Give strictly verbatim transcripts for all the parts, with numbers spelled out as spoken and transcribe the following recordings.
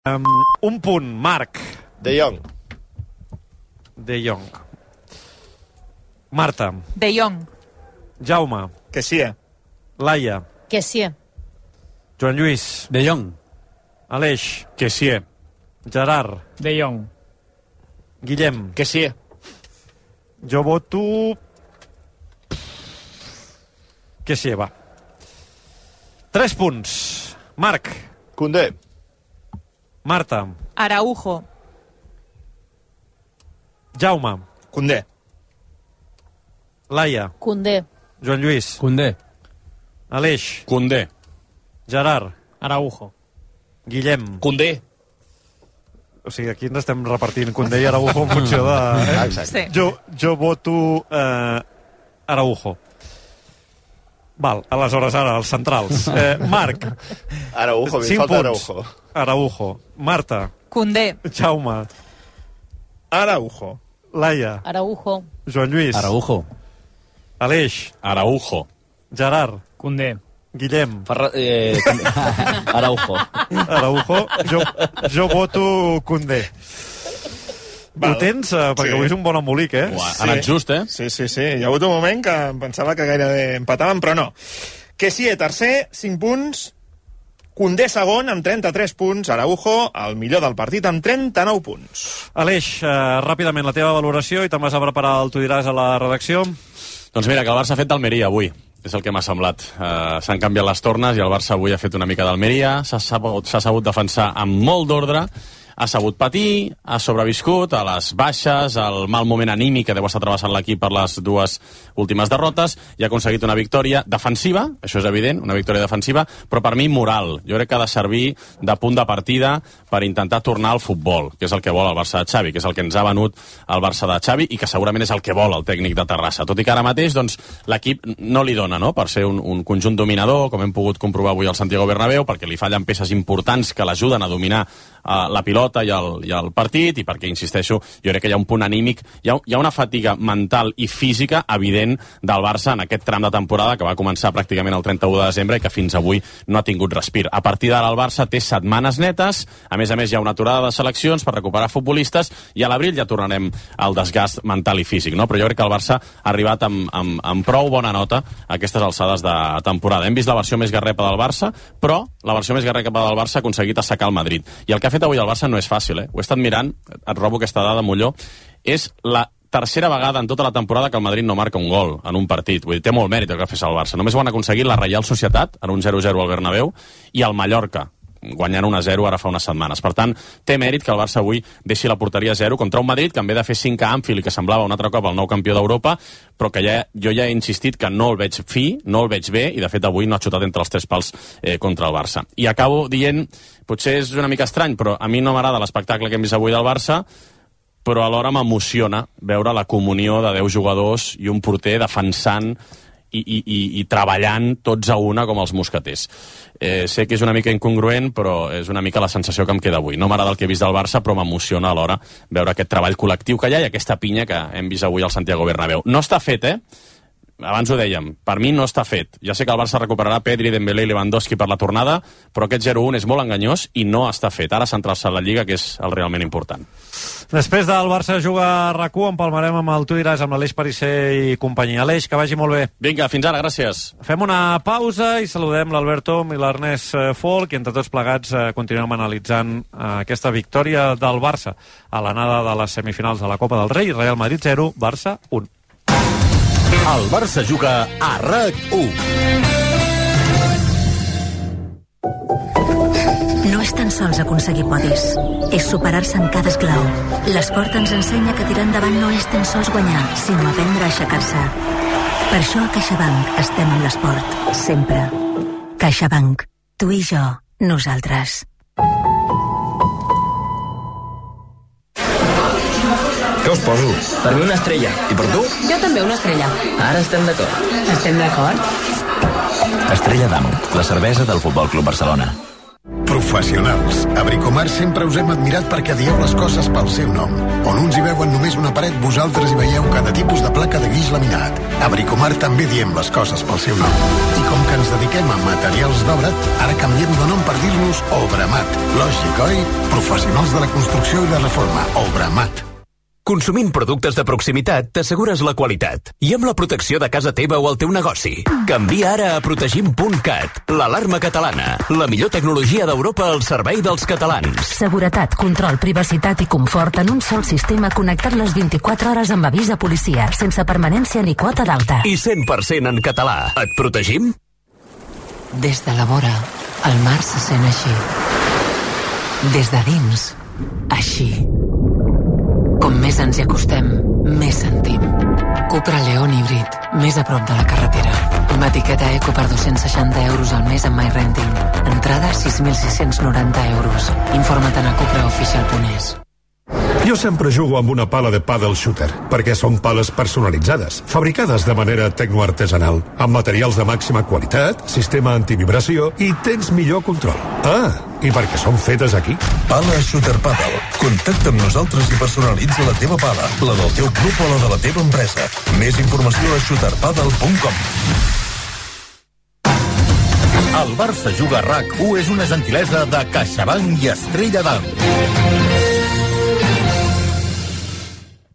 Um, un punt, Marc. De Jong. De Jong. Marta. De Jong. Jaume. Que sí. Laia. Que sí. Joan Lluís. De Jong. Aleix. Que sí. Gerard. De Jong. Guillem. Que sí. Jo voto... Que sí, va. Tres punts. Marc. Koundé. Marta. Araujo. Jaume. Koundé. Laia. Koundé. Joan Lluís. Koundé. Aleix. Koundé. Gerard. Araujo. Guillem. Koundé. O sigui, aquí ens estem repartint Koundé i Araujo en funció de... Eh? Exacte. Sí. Jo, jo voto eh, Araujo. Val, aleshores ara, els centrals. Eh, Marc. Araujo, mi Cinc falta punts. Araujo. Araujo. Marta. Koundé. Jaume. Araujo. Laia. Araujo. Joan Lluís. Araujo. Aleix. Araujo. Gerard. Koundé. Guillem. Ferra... Eh, Araujo. Araujo. Jo, jo voto Koundé. Val. Ho tens? Eh, perquè Sí. avui és un bon embolic, eh? Uà, ha anat just, eh? Sí, sí, sí. Hi ha hagut un moment que em pensava que gairebé empataven, però no. Que sí, tercer, cinc punts. Koundé segon, amb trenta-tres punts. Araujo, el millor del partit, amb trenta-nou punts. Aleix, eh, ràpidament la teva valoració i te'n vas a preparar el Tu diràs a la redacció. Doncs mira, que el Barça ha fet d'Almeria avui. És el que m'ha semblat. Uh, S'han canviat les tornes i el Barça avui ha fet una mica d'Almeria. S'ha sabut, s'ha sabut defensar amb molt d'ordre, ha sabut patir, ha sobreviscut a les baixes, al mal moment anímic que deu estar travessant l'equip per les dues últimes derrotes, i ha aconseguit una victòria defensiva, això és evident, una victòria defensiva, però per mi moral. Jo crec que ha de servir de punt de partida per intentar tornar al futbol, que és el que vol el Barça de Xavi, que és el que ens ha venut el Barça de Xavi i que segurament és el que vol el tècnic de Terrassa. Tot i que ara mateix doncs, l'equip no li dona, no?, per ser un, un conjunt dominador, com hem pogut comprovar avui al Santiago Bernabéu, perquè li fallen peces importants que l'ajuden a dominar uh, la pilota i el, i el partit, i perquè, insisteixo, jo crec que hi ha un punt anímic, hi ha, hi ha una fatiga mental i física evident del Barça en aquest tram de temporada que va començar pràcticament el trenta-u de desembre i que fins avui no ha tingut respir. A partir d'ara el Barça té setmanes netes, a més a més hi ha una aturada de seleccions per recuperar futbolistes i a l'abril ja tornarem al desgast mental i físic, no? Però jo crec que el Barça ha arribat amb, amb, amb prou bona nota a aquestes alçades de temporada. Hem vist la versió més garrepa del Barça, però la versió més garrepa del Barça ha aconseguit assecar el Madrid. I el que ha fet avui el Barça no és fàcil, eh? Ho he estat mirant, et robo aquesta dada, Molló, és la tercera vegada en tota la temporada que el Madrid no marca un gol en un partit. Vull dir, té molt mèrit el que ha fet el Barça. Només ho han aconseguit la Reial Societat, en un zero zero al Bernabéu, i el Mallorca, guanyant un a zero ara fa unes setmanes. Per tant, té mèrit que el Barça avui deixi la porteria a zero contra un Madrid que en ve de fer cinc a Anfield i que semblava un altre cop el nou campió d'Europa, però que ja, jo ja he insistit que no el veig fi, no el veig bé, i de fet avui no ha xutat entre els tres pals eh, contra el Barça. I acabo dient, potser és una mica estrany, però a mi no m'agrada l'espectacle que hem vist avui del Barça, però alhora m'emociona veure la comunió de deu jugadors i un porter defensant i, i, i, i treballant tots a una com els mosqueters. Eh, sé que és una mica incongruent, però és una mica la sensació que em queda avui. No m'agrada el que he vist del Barça, però m'emociona alhora veure aquest treball col·lectiu que hi ha i aquesta pinya que hem vist avui al Santiago Bernabéu. No està fet, eh? Abans ho dèiem, per mi no està fet. Ja sé que el Barça recuperarà Pedri, Dembélé i Lewandowski per la tornada, però aquest zero un és molt enganyós i no està fet. Ara centrar-se en la Lliga, que és el realment important. Després del Barça jugar a RAC u, empalmarem amb el Tu diràs amb l'Aleix Parisser i companyia. Aleix, que vagi molt bé. Vinga, fins ara, gràcies. Fem una pausa i saludem l'Albert Tom i l'Ernest Folk, i entre tots plegats eh, continuem analitzant eh, aquesta victòria del Barça a l'anada de les semifinals de la Copa del Rei. Real Madrid zero, Barça un. El Barça juga a RAC u. No és tan sols aconseguir podis, és superar-se en cada esglau. L'esport ens ensenya que tirar endavant no és tan sols guanyar, sinó aprendre a aixecar-se. Per això a CaixaBank estem amb l'esport, sempre. CaixaBank, tu i jo, nosaltres. Què us poso? Per mi una estrella. I per tu? Jo també una estrella. Ara estem d'acord. Estem d'acord? Estrella d'Am, la cervesa del Futbol Club Barcelona. Professionals. A Bricomart sempre us hem admirat perquè dieu les coses pel seu nom. On uns hi veuen només una paret, vosaltres hi veieu cada tipus de placa de guix laminat. A Bricomart també diem les coses pel seu nom. I com que ens dediquem a materials d'obra, ara canviem de nom per dir-nos Obramat. Lògic, oi? Professionals de la construcció i la reforma. Obramat. Consumint productes de proximitat t'assegures la qualitat i amb la protecció de casa teva o el teu negoci. Canvia ara a protegim punt cat, l'alarma catalana, la millor tecnologia d'Europa al servei dels catalans. Seguretat, control, privacitat i confort en un sol sistema connectat les vint-i-quatre hores amb avís de policia, sense permanència ni quota d'alta. I cent per cent en català. Et protegim? Des de la vora, el mar se sent així. Des de dins, així. Com més ens hi acostem, més sentim. Cupra León híbrid, més a prop de la carretera. Amb etiqueta Eco per dos-cents seixanta euros al mes amb MyRenting. Entrada sis mil sis-cents noranta euros. Informa't a cupraoficial punt es. Jo sempre jugo amb una pala de paddle shooter, perquè són pales personalitzades, fabricades de manera tecnoartesanal, amb materials de màxima qualitat, sistema antivibració i tens millor control. Ah, i perquè són fetes aquí. Pala Shooter Paddle. Contacta amb nosaltres i personalitza la teva pala, la del teu club o la de la teva empresa. Més informació a shooter paddle punt com. El Barça Juga R A C u és una gentilesa de CaixaBank i Estrella d'Am.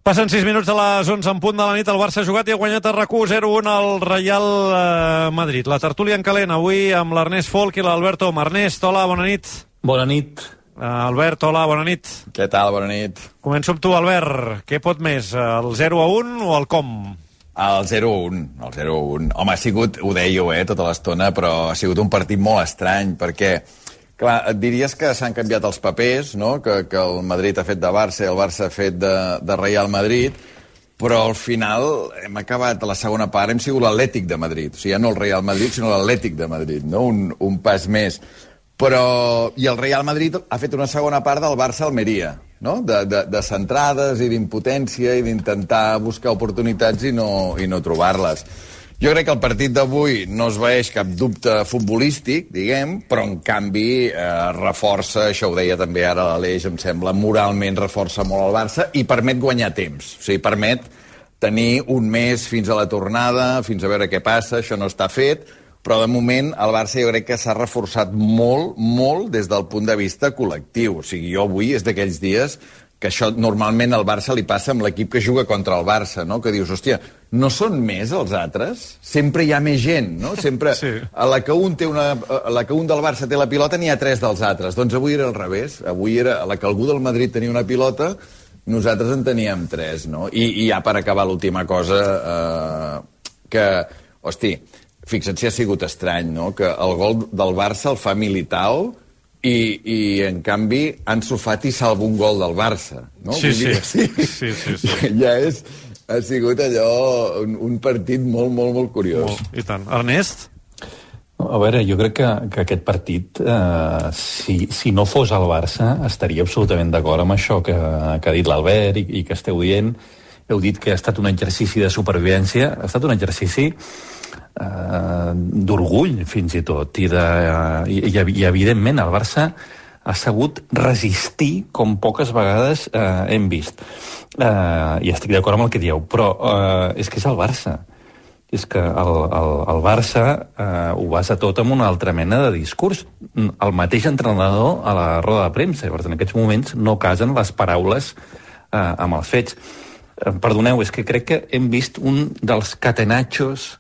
Passen sis minuts de les onze en punt de la nit. El Barça ha jugat i ha guanyat a R A C u zero un al Real eh, Madrid. La tertúlia en calent avui amb l'Ernest Folk i l'Alberto Om. Ernest, hola, bona nit. Bona nit. Uh, Albert, hola, bona nit. Què tal, bona nit. Començo amb tu, Albert. Què pot més, el zero a un o el com? El zero a un, el zero a un. Home, ha sigut, ho dèieu, eh, tota l'estona, però ha sigut un partit molt estrany, perquè... Clar, et diries que s'han canviat els papers, no? que, que el Madrid ha fet de Barça i el Barça ha fet de, de Real Madrid, però al final hem acabat, a la segona part, hem sigut l'Atlètic de Madrid. O sigui, ja no el Real Madrid, sinó l'Atlètic de Madrid, no? Un, un pas més. Però... I el Real Madrid ha fet una segona part del Barça-Almeria, no? De, de, de centrades i d'impotència i d'intentar buscar oportunitats i no, i no trobar-les. Jo crec que el partit d'avui no es veeix cap dubte futbolístic, diguem, però en canvi eh, reforça, això ho deia també ara l'Aleix, em sembla, moralment reforça molt el Barça i permet guanyar temps. O sigui, permet tenir un mes fins a la tornada, fins a veure què passa, això no està fet, però de moment el Barça jo crec que s'ha reforçat molt, molt des del punt de vista col·lectiu. O sigui, jo avui és d'aquells dies que això normalment al Barça li passa amb l'equip que juga contra el Barça, no? Que dius, hòstia, no són més els altres? Sempre hi ha més gent, no? Sempre, sí. a, la que un té una, a la que un del Barça té la pilota n'hi ha tres dels altres. Doncs avui era al revés. Avui era a la que algú del Madrid tenia una pilota, nosaltres en teníem tres, no? I, i ja per acabar l'última cosa, eh, que, hosti, fixa't si ha sigut estrany, no? Que el gol del Barça el fa Militao, I, i en canvi Ansu Fati salva un gol del Barça, no? Sí, sí. sí. sí, sí, sí. Ja és, ha sigut allò un, un partit molt, molt, molt curiós. Molt. I tant. Ernest? A veure, jo crec que, que aquest partit, eh, si, si no fos el Barça, estaria absolutament d'acord amb això que, que ha dit l'Albert i, i que esteu dient. Heu dit que ha estat un exercici de supervivència, ha estat un exercici Uh, d'orgull fins i tot i, de, uh, i, i evidentment el Barça ha sabut resistir com poques vegades uh, hem vist uh, i estic d'acord amb el que dieu, però uh, és que és el Barça, és que el, el, el Barça uh, ho basa tot amb una altra mena de discurs. El mateix entrenador a la roda de premsa, perquè en aquests moments no casen les paraules uh, amb els fets. Uh, perdoneu, és que crec que hem vist un dels catenachos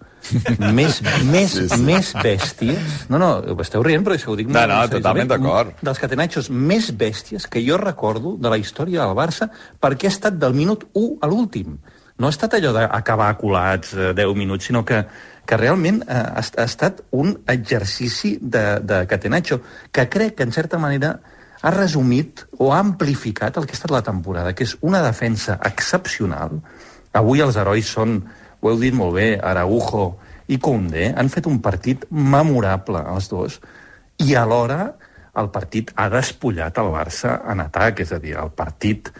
més, més, sí, sí. més bèsties. No, no, esteu rient, però això ho dic... No, no, totalment d'acord. Dels catenachos més bèsties que jo recordo de la història del Barça, perquè ha estat del minut u a l'últim. No ha estat allò d'acabar colats eh, deu minuts, sinó que, que realment eh, ha, ha estat un exercici de, de catenaccio, que crec que, en certa manera, ha resumit o ha amplificat el que ha estat la temporada, que és una defensa excepcional. Avui els herois són... Ho heu dit molt bé, Araujo i Koundé han fet un partit memorable, els dos, i alhora el partit ha despullat el Barça en atac, és a dir, el partit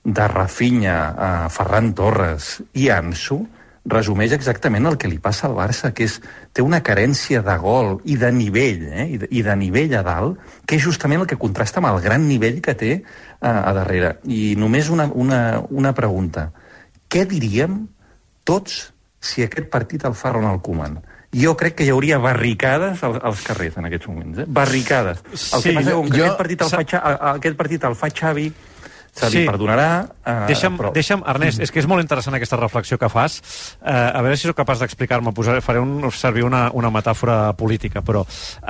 de Rafinha, eh, Ferran Torres i Ansu resumeix exactament el que li passa al Barça, que és, té una carència de gol i de nivell, eh? I, de, i de nivell a dalt, que és justament el que contrasta amb el gran nivell que té a, a darrere. I només una, una, una pregunta. Què diríem tots si aquest partit el fa Ronald Koeman? Jo crec que hi hauria barricades als, als carrers en aquests moments, eh? Barricades. El sí, que passa és que jo, aquest, partit el fa, aquest partit el fa Xavi, se li sí. perdonarà... Uh, deixa'm, però... deixa'm, Ernest, és que és molt interessant aquesta reflexió que fas. Uh, a veure si sóc capaç d'explicar-me. Faré un, servir una, una metàfora política, però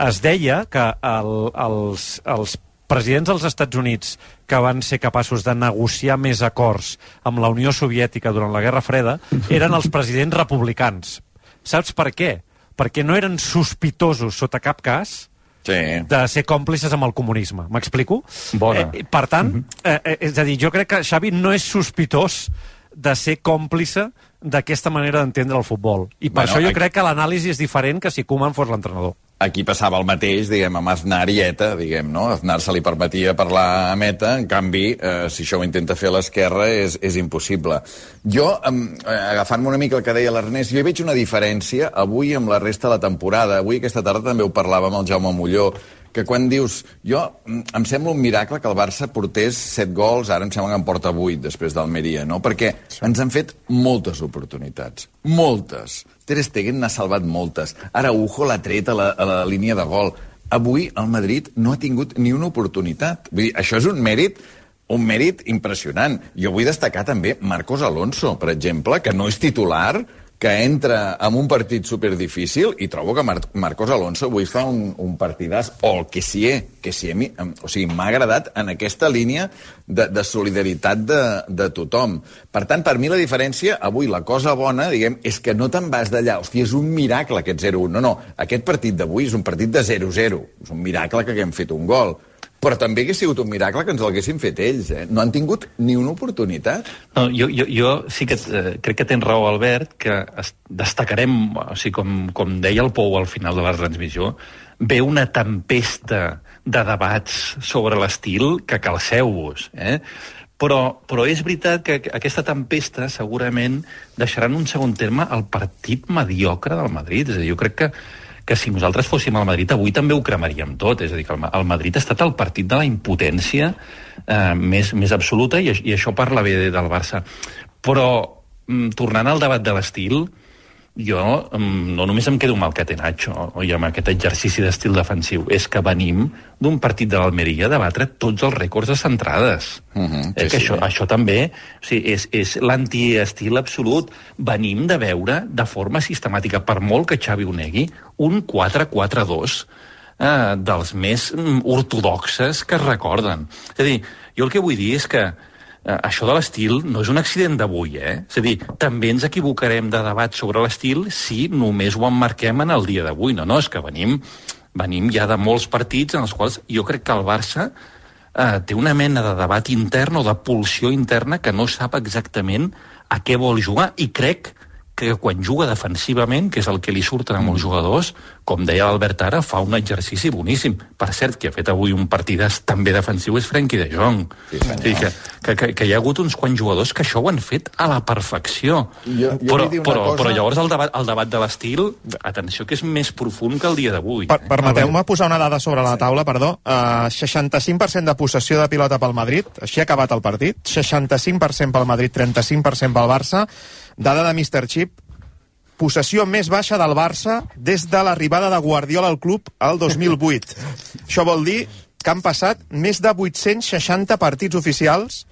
es deia que el, els, els presidents dels Estats Units que van ser capaços de negociar més acords amb la Unió Soviètica durant la Guerra Freda eren els presidents republicans. Saps per què? Perquè no eren sospitosos sota cap cas sí. de ser còmplices amb el comunisme. M'explico? Bona. Eh, per tant, eh, eh, és a dir, jo crec que Xavi no és sospitós de ser còmplice d'aquesta manera d'entendre el futbol. I per bueno, això jo aquí... crec que l'anàlisi és diferent que si Koeman fos l'entrenador. Aquí passava el mateix, diguem, amb Aznar i ETA, diguem, no? Aznar se li permetia parlar amb ETA, en canvi, eh, si això ho intenta fer a l'esquerra, és, és impossible. Jo, eh, agafant-me una mica el que deia l'Ernest, jo hi veig una diferència avui amb la resta de la temporada. Avui, aquesta tarda, també ho parlava amb el Jaume Molló, que quan dius, jo, em sembla un miracle que el Barça portés set gols, ara em sembla que en porta vuit després d'Almeria, no? Perquè ens han fet moltes oportunitats, moltes. Ter Stegen n'ha salvat moltes. Araujo l'ha tret a la, a la línia de gol. Avui el Madrid no ha tingut ni una oportunitat. Vull dir, això és un mèrit un mèrit impressionant. Jo vull destacar també Marcos Alonso, per exemple, que no és titular, que entra en un partit superdifícil i trobo que Mar Marcos Alonso avui fa un, un partidàs, o el que sí, que sí, o sigui, m'ha agradat en aquesta línia de, de solidaritat de, de tothom. Per tant, per mi la diferència, avui la cosa bona, diguem, és que no te'n vas d'allà, hòstia, és un miracle aquest zero un. No, no, aquest partit d'avui és un partit de zero zero, és un miracle que haguem fet un gol. Però també hauria sigut un miracle que ens l'haguessin fet ells, eh? No han tingut ni una oportunitat. No, jo, jo, jo sí que eh, crec que tens raó, Albert, que destacarem, o sigui, com, com deia el Pou al final de la transmissió, ve una tempesta de debats sobre l'estil que calceu-vos, eh? Però, però és veritat que aquesta tempesta segurament deixarà en un segon terme el partit mediocre del Madrid. És a dir, jo crec que que si nosaltres fóssim al Madrid avui també ho cremaríem tot, és a dir, que el Madrid ha estat el partit de la impotència eh, més, més absoluta i, i això parla bé del Barça. Però, mm, tornant al debat de l'estil, jo mm, no només em quedo amb el catenaccio i amb aquest exercici d'estil defensiu, és que venim d'un partit de l'Almeria de batre tots els rècords de centrades. Uh -huh, sí, eh, que sí, això, sí. això també o sigui, és, és l'antiestil absolut. Venim de veure de forma sistemàtica, per molt que Xavi ho negui, un quatre quatre dos eh, dels més mm, ortodoxes que es recorden. És a dir, jo el que vull dir és que eh, això de l'estil no és un accident d'avui, eh? És a dir, també ens equivocarem de debat sobre l'estil si només ho emmarquem en el dia d'avui. No, no, és que venim, venim ja de molts partits en els quals jo crec que el Barça eh, té una mena de debat intern o de pulsió interna que no sap exactament a què vol jugar, i crec que quan juga defensivament, que és el que li surten a molts jugadors, com deia l'Albert ara, fa un exercici boníssim. Per cert, qui ha fet avui un partidàs també defensiu és Frenkie de Jong. Sí, que, que, que, que hi ha hagut uns quants jugadors que això ho han fet a la perfecció. Jo, jo però, però, cosa... però llavors el debat, el debat de l'estil, atenció, que és més profund que el dia d'avui. Per, permeteu-me posar una dada sobre la taula, perdó. Uh, seixanta-cinc per cent de possessió de pilota pel Madrid, així ha acabat el partit. seixanta-cinc per cent pel Madrid, trenta-cinc per cent pel Barça. Dada de míster Chip, possessió més baixa del Barça des de l'arribada de Guardiola al club el dos mil vuit. Això vol dir que han passat més de vuit-cents seixanta partits oficials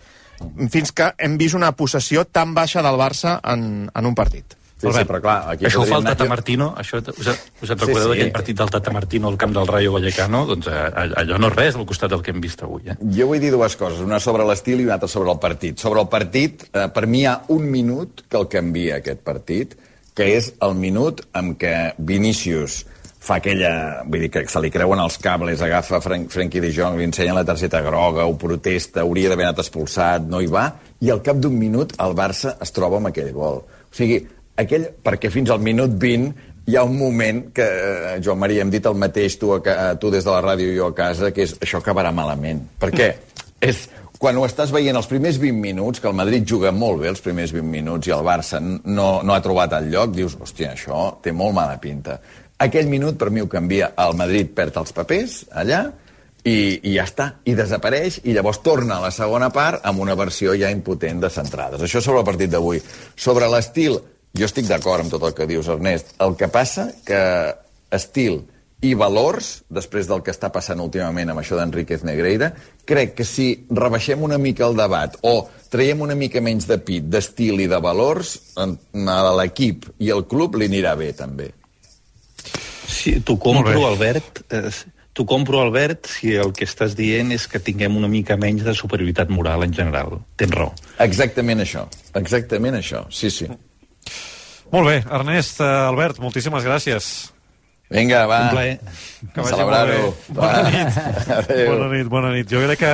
fins que hem vist una possessió tan baixa del Barça en, en un partit. Sí, sí, però clar, aquí això ho fa el Tata Martino, això, us, us en recordeu sí, sí. d'aquell partit del Tata Martino al camp del Rayo Vallecano? Doncs allò no és res al costat del que hem vist avui. Eh? Jo vull dir dues coses, una sobre l'estil i una altra sobre el partit. Sobre el partit, eh, per mi hi ha un minut que el canvia aquest partit, que és el minut en què Vinícius fa aquella... Vull dir que se li creuen els cables, agafa Fren Frenkie de Jong, li ensenya la targeta groga, ho protesta, hauria d'haver anat expulsat, no hi va, i al cap d'un minut el Barça es troba amb aquell gol. O sigui, aquell, perquè fins al minut vint hi ha un moment que, eh, Joan Maria, hem dit el mateix tu, a, tu des de la ràdio i jo a casa, que és això acabarà malament. Perquè és quan ho estàs veient els primers vint minuts, que el Madrid juga molt bé els primers vint minuts i el Barça no, no ha trobat el lloc, dius, hòstia, això té molt mala pinta. Aquell minut, per mi, ho canvia. El Madrid perd els papers allà i, i ja està, i desapareix, i llavors torna a la segona part amb una versió ja impotent de centrades. Això sobre el partit d'avui. Sobre l'estil, jo estic d'acord amb tot el que dius, Ernest. El que passa que estil i valors, després del que està passant últimament amb això d'Enríquez Negreira, crec que si rebaixem una mica el debat o traiem una mica menys de pit, d'estil i de valors, a l'equip i al club li anirà bé, també. Sí, t'ho compro, Albert. Eh, t'ho compro, Albert, si el que estàs dient és que tinguem una mica menys de superioritat moral en general. Tens raó. Exactament això. Exactament això. Sí, sí. Molt bé, Ernest, Albert, moltíssimes gràcies. Vinga, va. Un plaer. Celebrar-ho. Bona nit. Bona nit, bona nit. Jo crec que,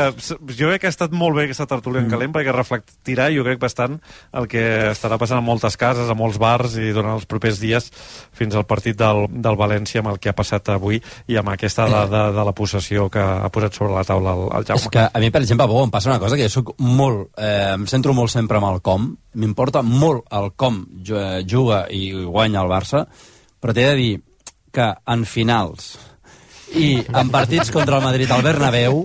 jo crec que ha estat molt bé aquesta tertúlia en calent, perquè reflectirà, jo crec, bastant el que estarà passant a moltes cases, a molts bars, i durant els propers dies fins al partit del, del València, amb el que ha passat avui i amb aquesta de, de, de la possessió que ha posat sobre la taula el, el Jaume. És que a mi, per exemple, Bo, em passa una cosa, que jo soc molt, eh, em centro molt sempre amb el com, m'importa molt el com juga i guanya el Barça, però t'he de dir que en finals i en partits contra el Madrid al Bernabéu,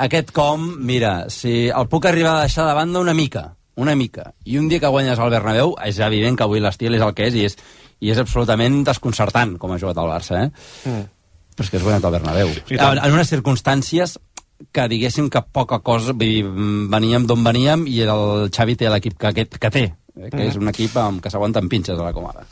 aquest com, mira, si el puc arribar a deixar de banda una mica, una mica, i un dia que guanyes al Bernabéu, és evident que avui l'estil és el que és, i és, i és absolutament desconcertant com ha jugat el Barça, eh? Mm. Però és que has guanyat al Bernabéu. En, en unes circumstàncies que diguéssim que poca cosa, vull dir, veníem d'on veníem, i el Xavi té l'equip que, que, que té, eh? Que mm. és un equip amb, que s'aguanta amb pinces a la comada.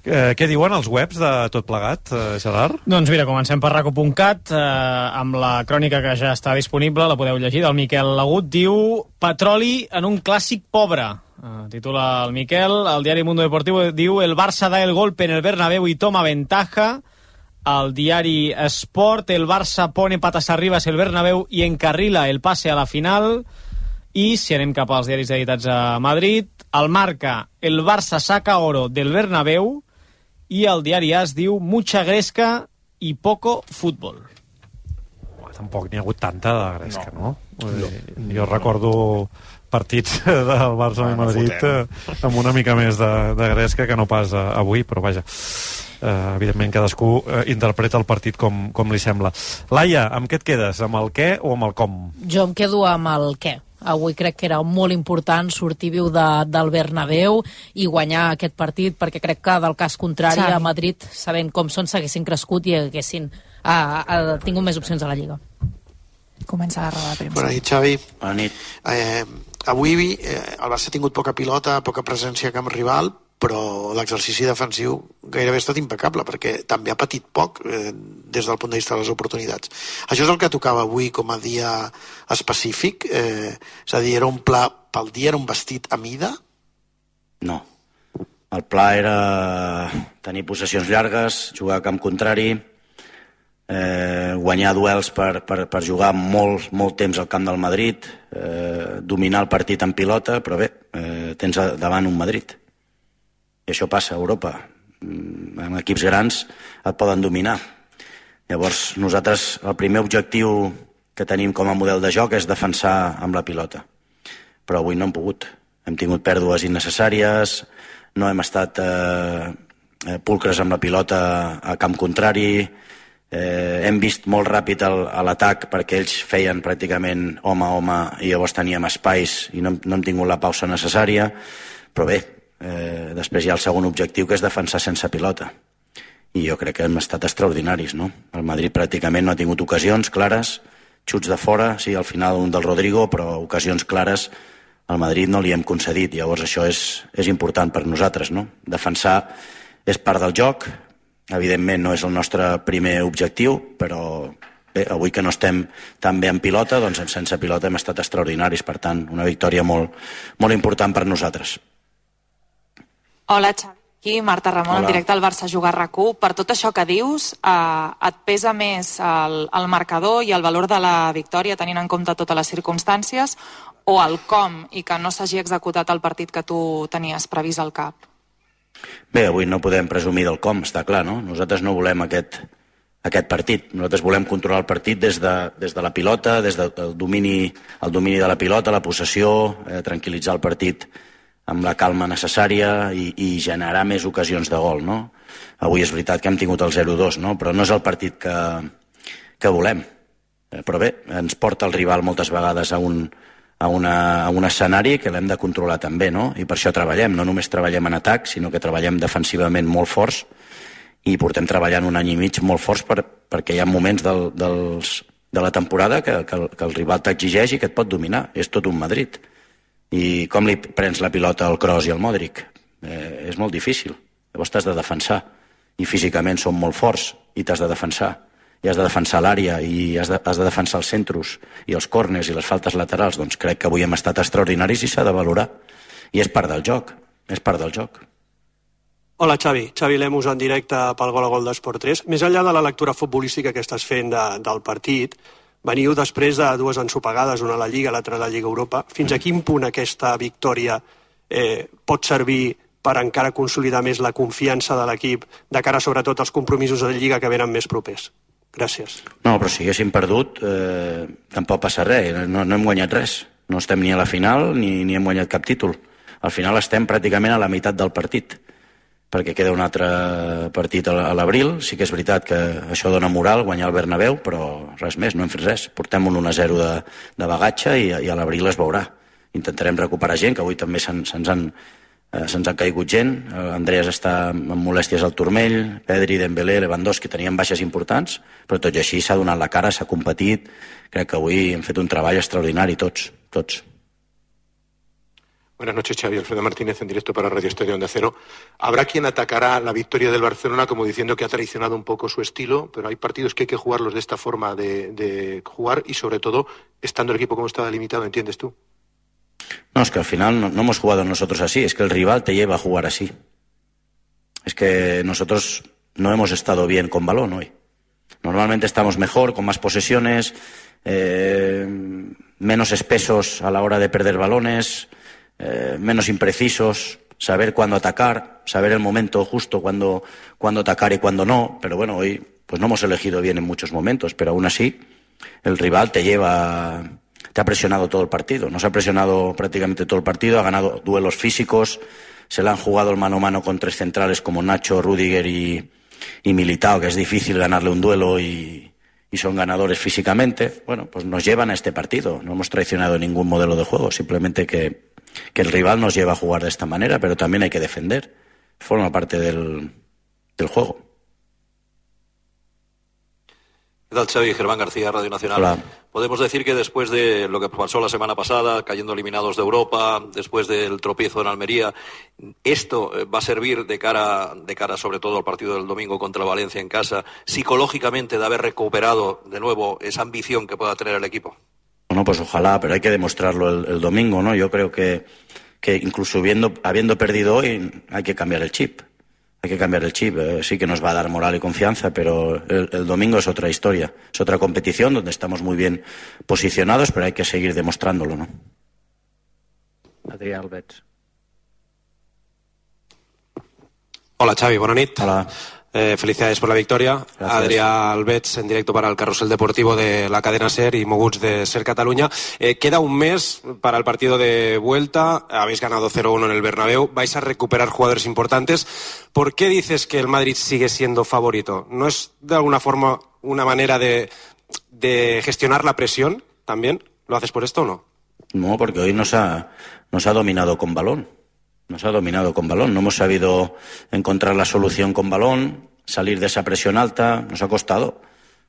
Eh, què diuen els webs de tot plegat, eh, Gerard? Doncs mira, comencem per raco punt cat, eh, amb la crònica que ja està disponible, la podeu llegir, del Miquel Lagut, diu Petroli en un clàssic pobre. Eh, titula el Miquel, el diari Mundo Deportivo diu el Barça da el golpe en el Bernabéu y toma ventaja. Al diari Sport, el Barça pone patas arriba el Bernabéu y encarrila el pase a la final. I si anem cap als diaris editats a Madrid, el Marca, el Barça saca oro del Bernabéu, i el diari AS diu mucha gresca i poco futbol. Tampoc n'hi ha hagut tanta de gresca, no? no? no. Jo recordo partits del Barça i Madrid eh, amb una mica més de, de gresca que no pas eh, avui, però vaja, eh, evidentment cadascú eh, interpreta el partit com, com li sembla. Laia, amb què et quedes? Amb el què o amb el com? Jo em quedo amb el què. Avui crec que era molt important sortir viu de, del Bernabéu i guanyar aquest partit, perquè crec que del cas contrari Xavi. A Madrid, sabent com són, s'haguessin crescut i haguessin a, a, tingut més opcions a la Lliga. Comença la roda de premsa. Bona nit, Xavi. Bona nit. Eh, avui eh, el Barça ha tingut poca pilota, poca presència a camp rival, però l'exercici defensiu gairebé ha estat impecable, perquè també ha patit poc eh, des del punt de vista de les oportunitats. Això és el que tocava avui com a dia específic? Eh, és a dir, era un pla pel dia, era un vestit a mida? No. El pla era tenir possessions llargues, jugar a camp contrari, eh, guanyar duels per, per, per jugar molt, molt temps al camp del Madrid, eh, dominar el partit en pilota, però bé, eh, tens davant un Madrid. I això passa a Europa. En equips grans et poden dominar. Llavors, nosaltres, el primer objectiu que tenim com a model de joc és defensar amb la pilota. Però avui no hem pogut. Hem tingut pèrdues innecessàries, no hem estat eh, pulcres amb la pilota a camp contrari, eh, hem vist molt ràpid el, l'atac perquè ells feien pràcticament home a home i llavors teníem espais i no, no hem tingut la pausa necessària, però bé, Eh, després hi ha el segon objectiu, que és defensar sense pilota, i jo crec que hem estat extraordinaris, no? El Madrid pràcticament no ha tingut ocasions clares, xuts de fora, sí, al final un del Rodrigo, però ocasions clares al Madrid no li hem concedit. Llavors això és, és important per nosaltres, no? Defensar és part del joc, evidentment no és el nostre primer objectiu, però bé, avui que no estem tan bé en pilota, doncs sense pilota hem estat extraordinaris, per tant una victòria molt, molt important per nosaltres. Hola, Xavi. Aquí, Marta Ramon, en directe al Barça Jugar RAC1. Per tot això que dius, eh, et pesa més el, el marcador i el valor de la victòria, tenint en compte totes les circumstàncies, o el com i que no s'hagi executat el partit que tu tenies previst al cap? Bé, avui no podem presumir del com, està clar, no? Nosaltres no volem aquest, aquest partit. Nosaltres volem controlar el partit des de, des de la pilota, des del domini, el domini de la pilota, la possessió, eh, tranquil·litzar el partit amb la calma necessària i, i generar més ocasions de gol, no? Avui és veritat que hem tingut el zero dos, no? Però no és el partit que, que volem. Eh, però bé, ens porta el rival moltes vegades a un, a, una, a un escenari que l'hem de controlar també, no? I per això treballem, no només treballem en atac, sinó que treballem defensivament molt forts i portem treballant un any i mig molt forts per, perquè hi ha moments del, dels, de la temporada que, que, el, que el rival t'exigeix i que et pot dominar. És tot un Madrid. I com li prens la pilota al Kroos i al Modric? Eh, és molt difícil. Llavors t'has de defensar. I físicament són molt forts i t'has de defensar. I has de defensar l'àrea i has de, has de defensar els centros i els córners i les faltes laterals. Doncs crec que avui hem estat extraordinaris i s'ha de valorar. I és part del joc. És part del joc. Hola, Xavi. Xavi Lemus en directe pel Gol a Gol d'Esport tres. Més enllà de la lectura futbolística que estàs fent de, del partit, veniu després de dues ensopegades, una a la Lliga, l'altra a la Lliga Europa. Fins a quin punt aquesta victòria eh, pot servir per encara consolidar més la confiança de l'equip de cara sobretot als compromisos de Lliga que venen més propers? Gràcies. No, però si haguéssim perdut, eh, tampoc passa res. No, no hem guanyat res. No estem ni a la final ni, ni hem guanyat cap títol. Al final estem pràcticament a la meitat del partit, perquè queda un altre partit a l'abril. Sí que és veritat que això dona moral, guanyar el Bernabéu, però res més, no hem fet res. Portem un un a zero de, de bagatge i, i a l'abril es veurà. Intentarem recuperar gent, que avui també se'ns han, eh, se'ns han caigut gent. Andreas està amb molèsties al turmell, Pedri, Dembélé, Lewandowski tenien baixes importants, però tot i així s'ha donat la cara, s'ha competit. Crec que avui hem fet un treball extraordinari, tots, tots. Buenas noches, Xavi. Alfredo Martínez en directo para Radio Estadio Onda Cero. Habrá quien atacará la victoria del Barcelona como diciendo que ha traicionado un poco su estilo, pero hay partidos que hay que jugarlos de esta forma de, de jugar y sobre todo estando el equipo como está delimitado, ¿entiendes tú? No, es que al final no, no hemos jugado nosotros así, es que el rival te lleva a jugar así. Es que nosotros no hemos estado bien con balón hoy. Normalmente estamos mejor, con más posesiones, eh, menos espesos a la hora de perder balones, Eh, menos imprecisos, saber cuándo atacar, saber el momento justo cuándo, cuándo atacar y cuándo no, pero bueno, hoy pues no hemos elegido bien en muchos momentos, pero aún así el rival te lleva, te ha presionado todo el partido, nos ha presionado prácticamente todo el partido, ha ganado duelos físicos, se le han jugado el mano a mano con tres centrales como Nacho, Rüdiger y, y Militao, que es difícil ganarle un duelo y, y son ganadores físicamente. Bueno, pues nos llevan a este partido, no hemos traicionado ningún modelo de juego, simplemente que que el rival nos lleva a jugar de esta manera, pero también hay que defender. Forma parte del, del juego. ¿Qué tal, Xavi? Germán García, Radio Nacional. Hola. Podemos decir que después de lo que pasó la semana pasada, cayendo eliminados de Europa, después del tropiezo en Almería, esto va a servir de cara, de cara sobre todo al partido del domingo contra Valencia en casa, psicológicamente de haber recuperado de nuevo esa ambición que pueda tener el equipo. Bueno, pues ojalá, pero hay que demostrarlo el, el domingo, ¿no? Yo creo que, que incluso habiendo, habiendo perdido hoy, hay que cambiar el chip. Hay que cambiar el chip. Eh, sí que nos va a dar moral y confianza, pero el, el domingo es otra historia. Es otra competición donde estamos muy bien posicionados, pero hay que seguir demostrándolo, ¿no? Adrià Albets. Hola, Xavi, bona nit. Hola. Eh, felicidades por la victoria. Gracias. Adrià Albets, en directo para el Carrusel Deportivo de la cadena SER y Moguts de SER Cataluña. Eh, queda un mes para el partido de vuelta. Habéis ganado cero uno en el Bernabéu. Vais a recuperar jugadores importantes. ¿Por qué dices que el Madrid sigue siendo favorito? ¿No es de alguna forma una manera de, de gestionar la presión también? ¿Lo haces por esto o no? No, porque hoy nos ha, nos ha dominado con balón. Nos ha dominado con balón, no hemos sabido encontrar la solución con balón, salir de esa presión alta, nos ha costado,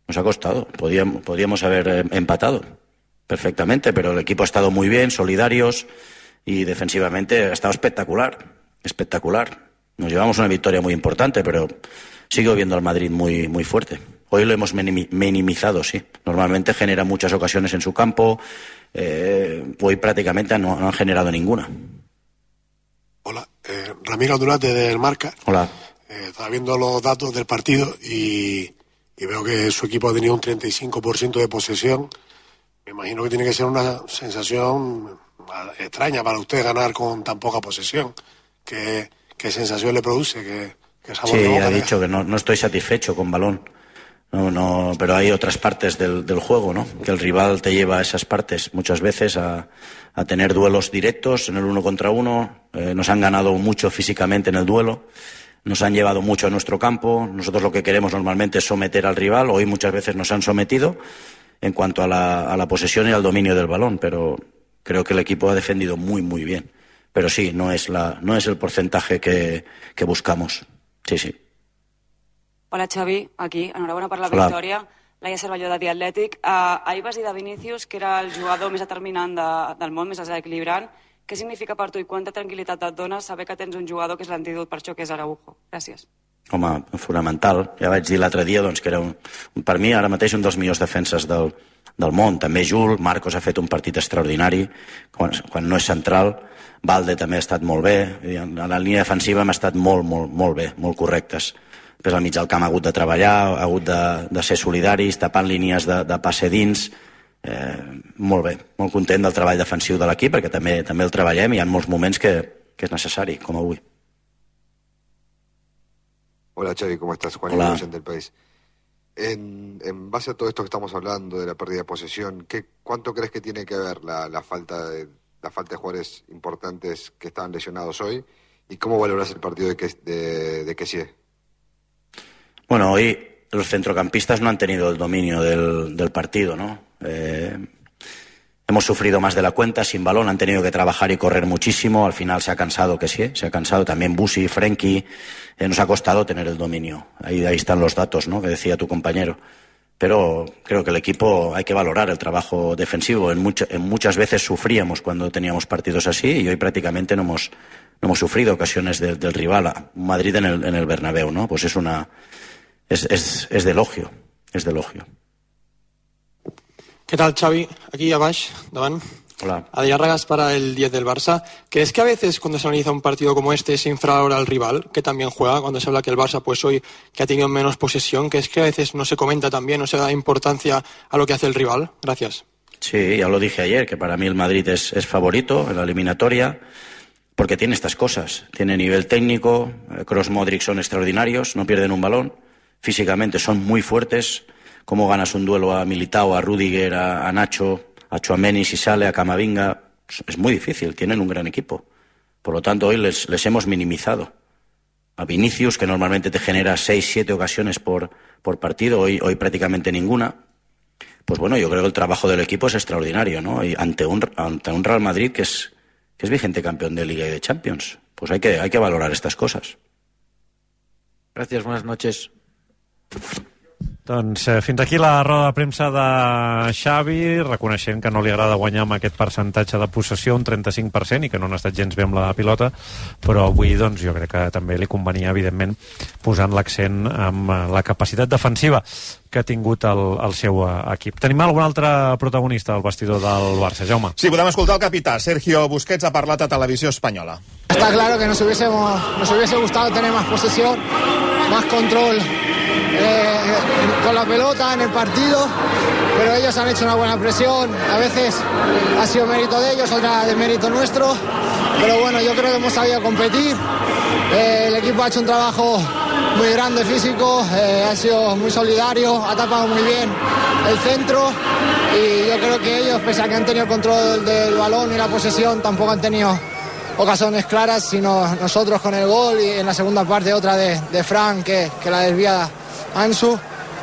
nos ha costado, podíamos, podríamos haber empatado perfectamente, pero el equipo ha estado muy bien, solidarios y defensivamente ha estado espectacular, espectacular. Nos llevamos una victoria muy importante, pero sigo viendo al Madrid muy, muy fuerte. Hoy lo hemos minimizado, sí. Normalmente genera muchas ocasiones en su campo, eh, hoy prácticamente no, no han generado ninguna. Hola, eh, Ramiro Aldunate del Marca. Hola. Eh, estaba viendo los datos del partido y, y veo que su equipo ha tenido un treinta y cinco por ciento de posesión. Me imagino que tiene que ser una sensación extraña para usted ganar con tan poca posesión. ¿Qué, qué sensación le produce? ¿Qué, qué sabor sí, de boca ha le da? dicho que no, no estoy satisfecho con balón. No, no, pero hay otras partes del, del juego, ¿no? Que el rival te lleva a esas partes muchas veces a, a tener duelos directos en el uno contra uno. Eh, nos han ganado mucho físicamente en el duelo, nos han llevado mucho a nuestro campo. Nosotros lo que queremos normalmente es someter al rival. Hoy muchas veces nos han sometido en cuanto a la, a la posesión y al dominio del balón, pero creo que el equipo ha defendido muy, muy bien. Pero sí, no es, la, no es el porcentaje que, que buscamos. Sí, sí. Hola, Xavi, aquí. Enhorabona per la Hola. victòria. Laia Cervelló, de The Athletic. Uh, ahir vas dir de Vinícius que era el jugador més determinant de, del món, més desequilibrant. Què significa per tu i quanta tranquil·litat et dona saber que tens un jugador que és l'antídot per això, que és Araujo? Gràcies. Home, fonamental. Ja vaig dir l'altre dia doncs, que era, un, per mi, ara mateix un dels millors defenses del, del món. També Jul, Marcos ha fet un partit extraordinari, quan, quan no és central. Valde també ha estat molt bé. A la línia defensiva hem estat molt, molt, molt bé, molt correctes. Després al mig del camp ha hagut de treballar, ha hagut de, de ser solidaris, tapant línies de, de passe dins. Eh, molt bé, molt content del treball defensiu de l'equip, perquè també també el treballem i hi ha molts moments que, que és necessari, com avui. Hola Xavi, ¿cómo estás? Juan Hola. Iglesias del País. En, en base a todo esto que estamos hablando de la pérdida de posesión, ¿qué, ¿cuánto crees que tiene que ver la, la, falta de, la falta de jugadores importantes que estaban lesionados hoy? ¿Y cómo valoras el partido de, de, de Kessie? Bueno, hoy los centrocampistas no han tenido el dominio del, del partido, ¿no? Eh, hemos sufrido más de la cuenta sin balón, han tenido que trabajar y correr muchísimo. Al final se ha cansado Kessie, se ha cansado también Busi, Frenkie. Eh, nos ha costado tener el dominio. Ahí, ahí están los datos, ¿no?, que decía tu compañero. Pero creo que el equipo hay que valorar el trabajo defensivo. En, mucho, en muchas veces sufríamos cuando teníamos partidos así y hoy prácticamente no hemos, no hemos sufrido ocasiones de, del rival. Madrid en el, en el Bernabéu, ¿no? Pues es una... Es, es, es de elogio, es de elogio. ¿Qué tal, Xavi? Aquí abajo, davant. Hola. Adrián Ragas para el diez del Barça. ¿Crees que a veces cuando se analiza un partido como este se infravalora al rival, que también juega, cuando se habla que el Barça pues hoy que ha tenido menos posesión, que es que a veces no se comenta también, no se da importancia a lo que hace el rival? Gracias. Sí, ya lo dije ayer, que para mí el Madrid es, es favorito en la eliminatoria, porque tiene estas cosas. Tiene nivel técnico, Kroos, Modric son extraordinarios, no pierden un balón. Físicamente son muy fuertes. Cómo ganas un duelo a Militao, a Rüdiger, a, a Nacho, a Tchouaméni si sale, a Camavinga. Es muy difícil, tienen un gran equipo. Por lo tanto, hoy les, les hemos minimizado. A Vinícius, que normalmente te genera seis, siete ocasiones por, por partido, hoy, hoy prácticamente ninguna. Pues bueno, yo creo que el trabajo del equipo es extraordinario, ¿no? Y ante un, ante un Real Madrid que es, que es vigente campeón de Liga y de Champions. Pues hay que, hay que valorar estas cosas. Gracias, buenas noches. Doncs eh, fins aquí la roda de premsa de Xavi, reconeixent que no li agrada guanyar amb aquest percentatge de possessió, un trenta-cinc per cent, i que no han estat gens bé amb la pilota, però avui doncs, jo crec que també li convenia, evidentment, posant l'accent en la capacitat defensiva que ha tingut el, el seu equip. Tenim algun altre protagonista al vestidor del Barça, Jaume? Sí, podem escoltar el capità. Sergio Busquets ha parlat a Televisió Espanyola. Está claro que nos, hubiésemos, nos hubiese gustado tener más posesión, más control eh, con la pelota en el partido, pero ellos han hecho una buena presión. A veces ha sido mérito de ellos, otra de mérito nuestro, pero bueno, yo creo que hemos sabido competir. Eh, el equipo ha hecho un trabajo muy grande físico, eh, ha sido muy solidario, ha tapado muy bien el centro y yo creo que ellos, pese a que han tenido el control del balón y la posesión, tampoco han tenido ocasiones claras, sino nosotros con el gol y en la segunda parte otra de, de Fran que, que la desvía Ansu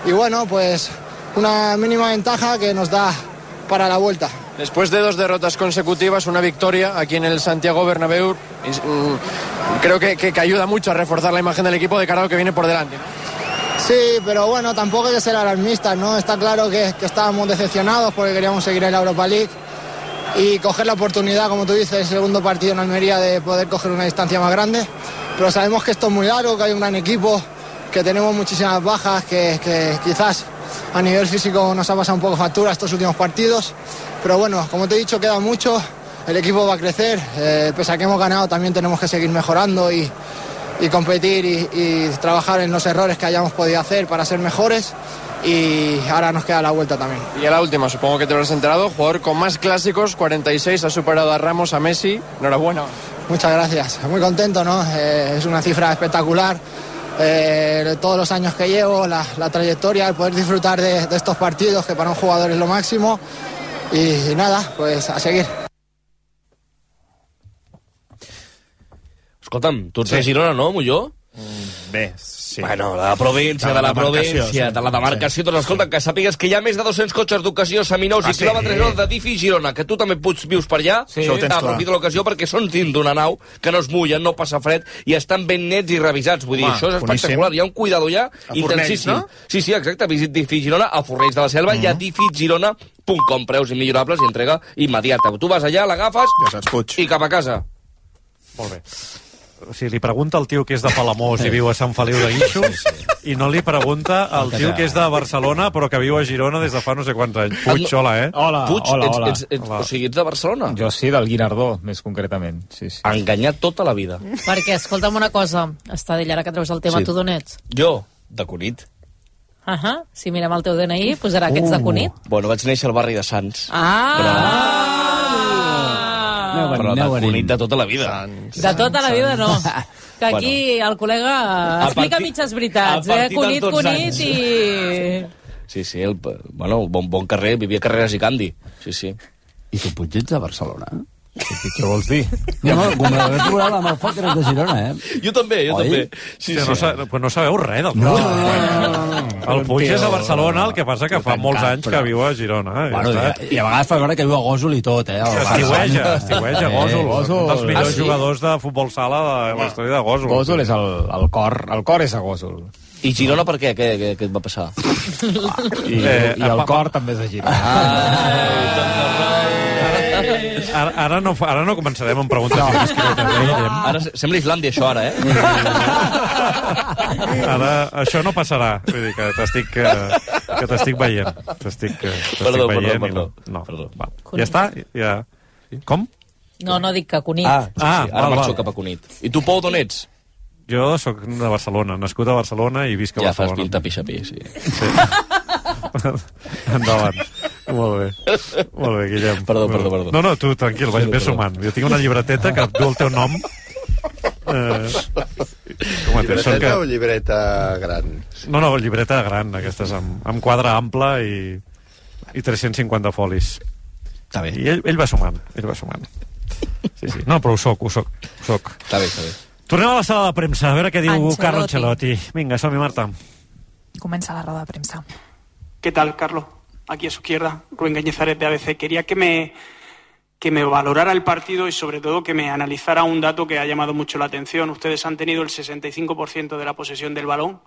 y bueno, pues una mínima ventaja que nos da para la vuelta. Después de dos derrotas consecutivas, una victoria aquí en el Santiago Bernabéu, creo que, que, que ayuda mucho a reforzar la imagen del equipo de cara a lo que viene por delante, ¿no? Sí, pero bueno, tampoco hay que ser alarmistas, ¿no? Está claro que, que estábamos decepcionados porque queríamos seguir en la Europa League y coger la oportunidad, como tú dices, el segundo partido en Almería de poder coger una distancia más grande, pero sabemos que esto es muy largo, que hay un gran equipo, que tenemos muchísimas bajas, que, que quizás a nivel físico nos ha pasado un poco factura estos últimos partidos, pero bueno, como te he dicho, queda mucho, el equipo va a crecer, eh, pese a que hemos ganado también tenemos que seguir mejorando y, y competir y, y trabajar en los errores que hayamos podido hacer para ser mejores. Y ahora nos queda la vuelta también. Y a la última, supongo que te lo has enterado, jugador con más clásicos, cuarenta y seis, ha superado a Ramos, a Messi, enhorabuena. Muchas gracias, muy contento, ¿no? Eh, es una cifra espectacular, eh, todos los años que llevo, la, la trayectoria, el poder disfrutar de, de estos partidos, que para un jugador es lo máximo. Y, y nada, pues a seguir. Escolta'm, tu ets sí. de Girona, no, Molló? Mm, bé, sí. Bueno, de la província, de, de la província, sí. de la demarcació. Doncs escolta, que sàpigues que hi ha més de dos-cents cotxes d'ocasió, seminous ah, i quilòmetres sí. de Difi Girona, que tu també pots, vius per allà. Sí. Aprofita l'ocasió perquè són dins d'una nau, que no es mullen, no passa fred, i estan ben nets i revisats. Vull dir, Home, això és espectacular. Boníssim. Hi ha un cuidador ja intensíssim. No? Sí, sí, exacte. Visit Difi Girona a Fornells de la Selva uh -huh. i a difi girona punt com. Preus immillorables i entrega immediata. Tu vas allà, l'agafes ja saps, i cap a casa. Molt bé. O sigui, li pregunta al tio que és de Palamós i viu a Sant Feliu de Guíxols sí, sí. i no li pregunta al tio que és de Barcelona però que viu a Girona des de fa no sé quants anys. Puig, hola, eh? Hola, Puig, hola, ets, hola. Ets, ets, hola. O sigui, ets de Barcelona? Jo sí, del Guinardó, més concretament. Sí, sí. Enganyat tota la vida. Perquè, escolta'm una cosa, Estadell, ara que treus el tema, sí. tu d'on ets? Jo, de Cunit. Uh -huh. Si mirem el teu D N I, posarà que ets de Cunit. Bueno, vaig néixer al barri de Sants. Ah! Però... No, però de Cunit de tota la vida. Sants, de tota la vida, no. Que aquí bueno, el col·lega explica partit, mitges veritats, eh? Cunit, Cunit i... Sí, sí, el, bueno, bon, bon carrer, vivia a Carreras i Candi. Sí, sí. I tu, Puig, ets de Barcelona? Què vols dir? No, no, com l'haver trobat amb el foc eres de Girona, eh? Jo també, jo Oi? també. Sí, sí. No, sa no sabeu res del no, no, no, no, no. El Puig és a Barcelona, el que passa que fa molts anys que viu a Girona. Eh? Bueno, ja i, I a vegades fa veure que viu a Gósol i tot, eh? Estiueja, estiueja, Gósol. Gósol. Un dels millors ah, sí? jugadors de futbol sala de la història de Gósol. Gósol és el, el cor, el cor és a Gósol. I Girona per què? Què, què, què et va passar? I, eh, i el cor també és de Girona. Ah, Ara, ara, no, ara no començarem amb preguntes no. discretes. Eh? Ara sembla Islàndia, això, ara, eh? Ara, això no passarà. Vull dir que t'estic que t'estic veient. T'estic perdó, veient perdó, i no. no. Perdó. Va. Ja està? Ja. Com? No, no dic que Cunit. Ah, sí, sí. ah ara marxo cap a Cunit. I tu, Pou, d'on ets? Jo sóc de Barcelona, nascut a Barcelona i visc a ja Barcelona. Ja fas pinta pixapí, sí. sí. Endavant. Molt bé. Molt bé, Guillem. Perdó, perdó, perdó. No, no, tu, tranquil, vaig bé sumant. Jo tinc una llibreteta que du el teu nom. Eh, com llibreteta que... o llibreta gran? No, no, llibreta gran, aquestes amb, amb quadre ample i, i tres-cents cinquanta folis. Està bé. I ell, ell va sumant, ell va sumant. Sí, sí. No, però ho soc, ho soc, ho soc. Està bé, està bé. Tornem a la sala de premsa, a veure què diu Ancelotti. Carlo Ancelotti. Vinga, som-hi, Marta. Comienza la rueda de prensa. ¿Qué tal, Carlos? Aquí a su izquierda, Rubén Cañizares de A B C. Quería que me, que me valorara el partido y sobre todo que me analizara un dato que ha llamado mucho la atención. Ustedes han tenido el sesenta y cinco por ciento de la posesión del balón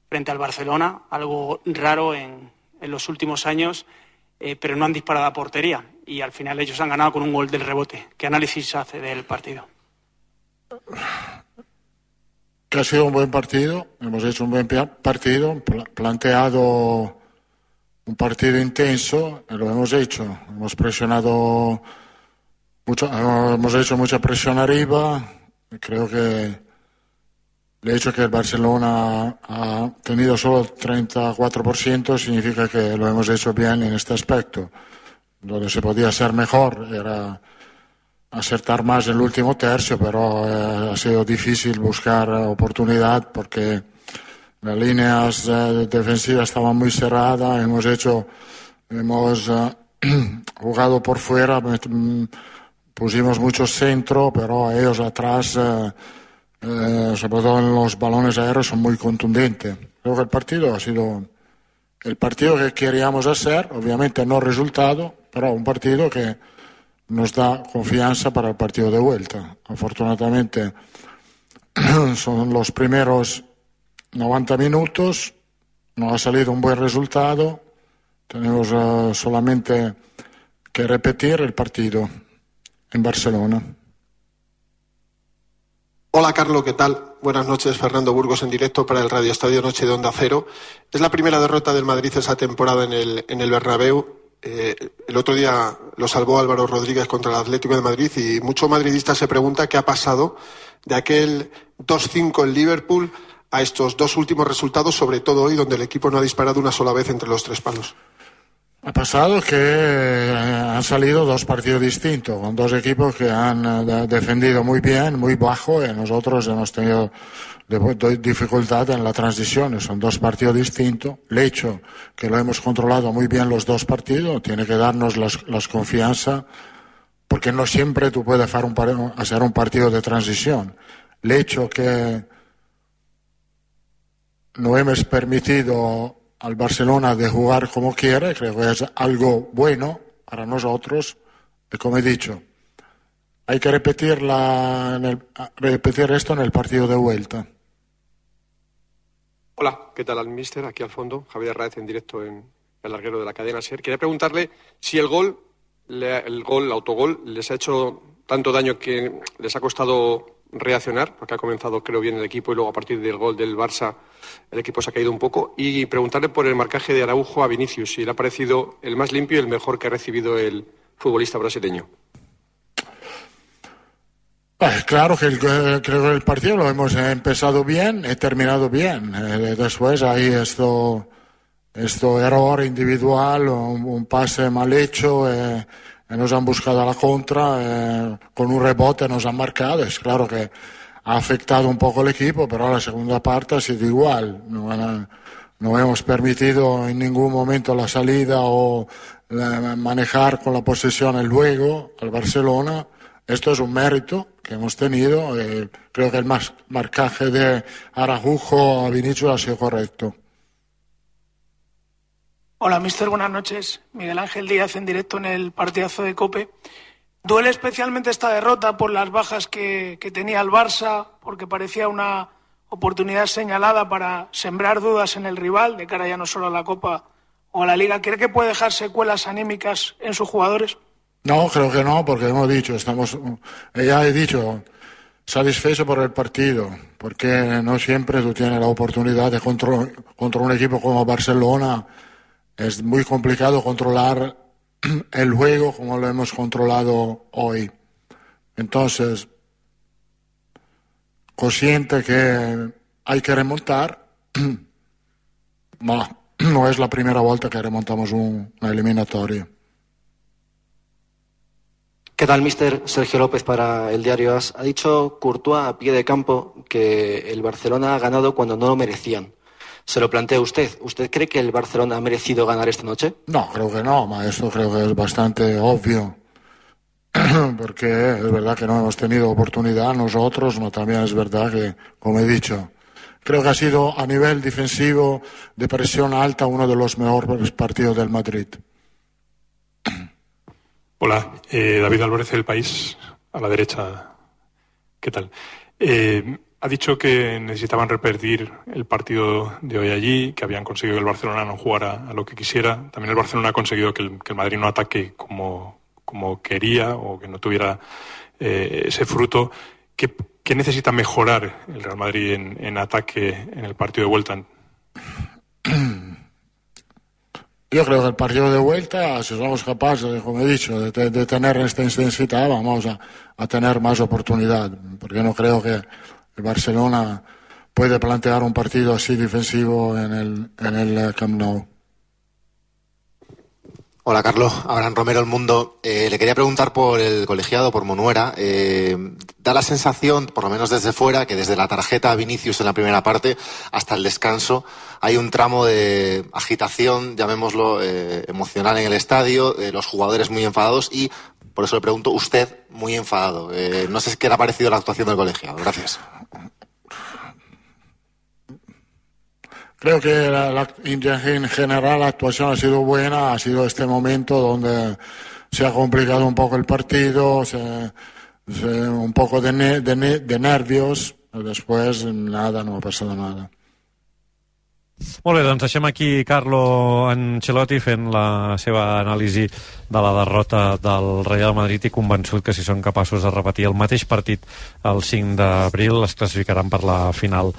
frente al Barcelona, algo raro en, en los últimos años, eh, pero no han disparado a portería y al final ellos han ganado con un gol del rebote. ¿Qué análisis hace del partido? Que ha sido un buen partido, hemos hecho un buen partido, pl- planteado un partido intenso, lo hemos hecho, hemos presionado mucho, hemos hecho mucha presión arriba, creo que el hecho que el Barcelona ha tenido solo el treinta y cuatro por ciento significa que lo hemos hecho bien en este aspecto. Donde se podía ser mejor era acertar más en el último tercio, pero eh, ha sido difícil buscar oportunidad porque las líneas eh, defensivas estaban muy cerradas, hemos hecho, hemos eh, jugado por fuera, pusimos mucho centro, pero ellos atrás, eh, eh, sobre todo en los balones aéreos, son muy contundentes. Creo que el partido ha sido el partido que queríamos hacer, obviamente no resultado, pero un partido que nos da confianza para el partido de vuelta. Afortunadamente son los primeros noventa minutos, nos ha salido un buen resultado, tenemos uh, solamente que repetir el partido en Barcelona. Hola Carlos, ¿qué tal? Buenas noches, Fernando Burgos en directo para el Radio Estadio Noche de Onda Cero. Es la primera derrota del Madrid esa temporada en el, en el Bernabéu. Eh, el otro día lo salvó Álvaro Rodríguez contra el Atlético de Madrid y mucho madridista se pregunta qué ha pasado de aquel dos cinco en Liverpool a estos dos últimos resultados, sobre todo hoy, donde el equipo no ha disparado una sola vez entre los tres palos. Ha pasado que han salido dos partidos distintos, con dos equipos que han defendido muy bien, muy bajo, y nosotros hemos tenido dificultad en la transición. Son dos partidos distintos. El hecho que lo hemos controlado muy bien los dos partidos tiene que darnos las, las confianza, porque no siempre tú puedes hacer un, hacer un partido de transición. El hecho que no hemos permitido al Barcelona de jugar como quiere, creo que es algo bueno para nosotros, y como he dicho, hay que repetir, la, en el, repetir esto en el partido de vuelta. Hola, ¿qué tal al míster? Aquí al fondo, Javier Raez en directo en el larguero de la cadena SER. Quería preguntarle si el gol, el gol, el autogol, les ha hecho tanto daño que les ha costado reaccionar, porque ha comenzado creo bien el equipo y luego a partir del gol del Barça el equipo se ha caído un poco, y preguntarle por el marcaje de Araujo a Vinicius, si le ha parecido el más limpio y el mejor que ha recibido el futbolista brasileño. Eh, claro que el, creo que el partido lo hemos empezado bien y terminado bien. Eh, después hay esto, esto error individual, un, un pase mal hecho, eh, nos han buscado a la contra, eh, con un rebote nos han marcado. Es claro que ha afectado un poco el equipo, pero la segunda parte ha sido igual. No, no hemos permitido en ningún momento la salida o la, manejar con la posesión el luego al Barcelona. Esto es un mérito que hemos tenido. Eh, creo que el mas, marcaje de Araujo a Vinicius ha sido correcto. Hola, mister, buenas noches. Miguel Ángel Díaz en directo en el partidazo de COPE. Duele especialmente esta derrota por las bajas que, que tenía el Barça, porque parecía una oportunidad señalada para sembrar dudas en el rival, de cara ya no solo a la Copa o a la Liga. ¿Cree que puede dejar secuelas anímicas en sus jugadores? No, creo que no, porque hemos dicho, estamos, ya he dicho, satisfecho por el partido, porque no siempre tú tienes la oportunidad de contra, contra un equipo como Barcelona. Es muy complicado controlar el juego como lo hemos controlado hoy. Entonces, consciente que hay que remontar, no, no es la primera vuelta que remontamos un, una eliminatoria. ¿Qué tal, mister? Sergio López para el diario AS. Ha dicho Courtois a pie de campo que el Barcelona ha ganado cuando no lo merecían. Se lo plantea usted. ¿Usted cree que el Barcelona ha merecido ganar esta noche? No, creo que no, ma esto creo que es bastante obvio. Porque es verdad que no hemos tenido oportunidad nosotros, no también es verdad que, como he dicho, creo que ha sido a nivel defensivo de presión alta uno de los mejores partidos del Madrid. Hola, eh, David Álvarez del País, a la derecha. ¿Qué tal? Eh, ha dicho que necesitaban repetir el partido de hoy allí, que habían conseguido que el Barcelona no jugara a lo que quisiera. También el Barcelona ha conseguido que el, que el Madrid no ataque como, como quería o que no tuviera eh, ese fruto. ¿Qué, ¿Qué necesita mejorar el Real Madrid en, en ataque en el partido de vuelta? Yo creo que el partido de vuelta, si somos capaces, como he dicho, de, de tener esta intensidad, vamos a, a tener más oportunidad. Porque no creo que el Barcelona puede plantear un partido así defensivo en el, en el Camp Nou. Hola, Carlos. Abraham Romero, El Mundo. Eh, le quería preguntar por el colegiado, por Monuera. Eh, da la sensación, por lo menos desde fuera, que desde la tarjeta a Vinicius en la primera parte hasta el descanso hay un tramo de agitación, llamémoslo, eh, emocional en el estadio, eh, los jugadores muy enfadados y, por eso le pregunto, usted muy enfadado. Eh, no sé qué le ha parecido la actuación del colegiado. Gracias. Creo que la, la, en general la actuación ha sido buena, ha sido este momento donde se ha complicado un poco el partido, se, se, un poco de, ne, de, ne, de nervios, después nada, no ha pasado nada. Molt bé, doncs deixem aquí Carlo Ancelotti fent la seva anàlisi de la derrota del Real Madrid i convençut que si són capaços de repetir el mateix partit el cinc d'abril es classificaran per la final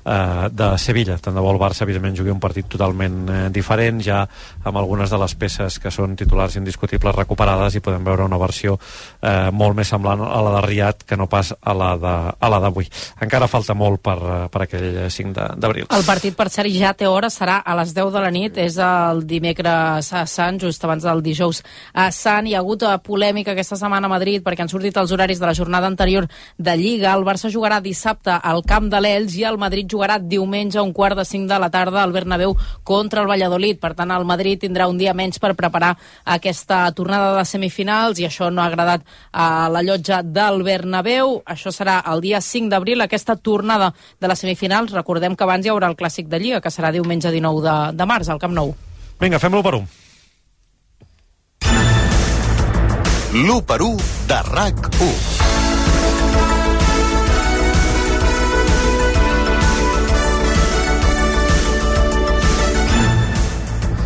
eh, de Sevilla. Tant de bo el Barça, evidentment, jugui un partit totalment eh, diferent, ja amb algunes de les peces que són titulars indiscutibles recuperades, i podem veure una versió eh, molt més semblant a la de Riad que no pas a la de, a la d'avui. Encara falta molt per, per aquell cinc d'abril. El partit, per cert, ja té hora, serà a les deu de la nit, és el dimecres a Sant, just abans del dijous a Sant. Hi ha hagut polèmica aquesta setmana a Madrid perquè han sortit els horaris de la jornada anterior de Lliga. El Barça jugarà dissabte al camp de l'Elx i el Madrid jugarà diumenge a un quart de cinc de la tarda al Bernabéu contra el Valladolid. Per tant, el Madrid tindrà un dia menys per preparar aquesta tornada de semifinals i això no ha agradat a la llotja del Bernabéu. Això serà el dia cinc d'abril, aquesta tornada de les semifinals. Recordem que abans hi haurà el Clàssic de Lliga, que serà diumenge dinou de, de març, al Camp Nou. Vinga, fem l'u per u. L'u per u de RAC u.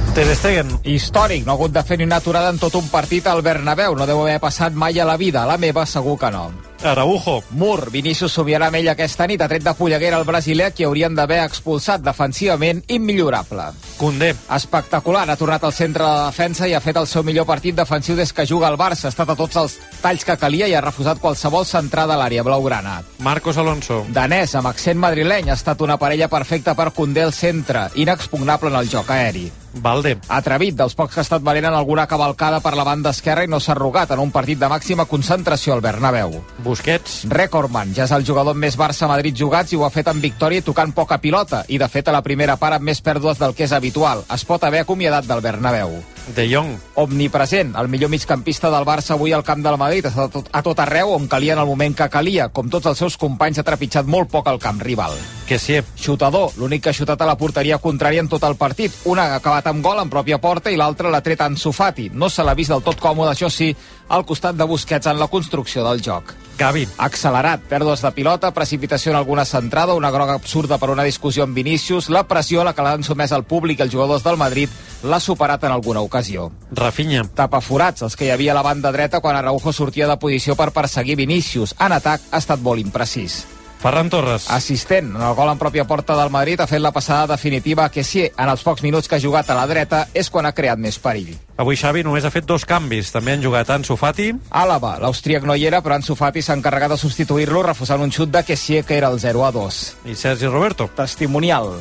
Ter Stegen. Històric, no ha hagut de fer ni una aturada en tot un partit al Bernabéu. No deu haver passat mai a la vida. A la meva segur que no. Araujo. Mur, Vinícius somiarà amb ell aquesta nit, ha tret de polleguera el brasiler, que haurien d'haver expulsat, defensivament immillorable. Condé. Espectacular, ha tornat al centre de la defensa i ha fet el seu millor partit defensiu des que juga al Barça. Ha estat a tots els talls que calia i ha refusat qualsevol centrada a l'àrea blaugrana. Marcos Alonso. Danès, amb accent madrileny, ha estat una parella perfecta per Condé al centre, inexpugnable en el joc aeri. Valde. Atrevit, dels pocs que ha estat valent en alguna cavalcada per la banda esquerra i no s'ha arrugat en un partit de màxima concentració al Bernabéu. Busquets. Recordman, ja és el jugador amb més Barça-Madrid jugats i ho ha fet amb victòria i tocant poca pilota, i de fet a la primera part amb més pèrdues del que és habitual. Es pot haver acomiadat del Bernabéu. De Jong. Omnipresent, el millor migcampista del Barça avui al camp del Madrid, a tot, a tot arreu on calia en el moment que calia. Com tots els seus companys, ha trepitjat molt poc al camp rival. Que sí. Xutador, l'únic que ha xutat a la porteria contrària en tot el partit. Una ha acabat amb gol en pròpia porta i l'altra l'ha tret Ansu Fati. No se l'ha vist del tot còmode, això sí, al costat de Busquets en la construcció del joc. Gavi. Accelerat, pèrdues de pilota, precipitació en alguna centrada, una groga absurda per una discussió amb Vinícius, la pressió a la que l'han sotmès el públic i els jugadors del Madrid l'ha superat en alguna ocasió. Rafinha. Tapaforats, els que hi havia a la banda dreta quan Araujo sortia de posició per perseguir Vinícius. En atac ha estat molt imprecís. Ferran Torres. Assistent, en el gol en pròpia porta del Madrid, ha fet la passada definitiva que sí, en els pocs minuts que ha jugat a la dreta és quan ha creat més perill. Avui Xavi només ha fet dos canvis. També han jugat Ansu Fati. Àlava, l'austríac no hi era, però Ansu Fati s'ha encarregat de substituir-lo refusant un xut de Kessié que era el zero a dos. I Sergi Roberto. Testimonial.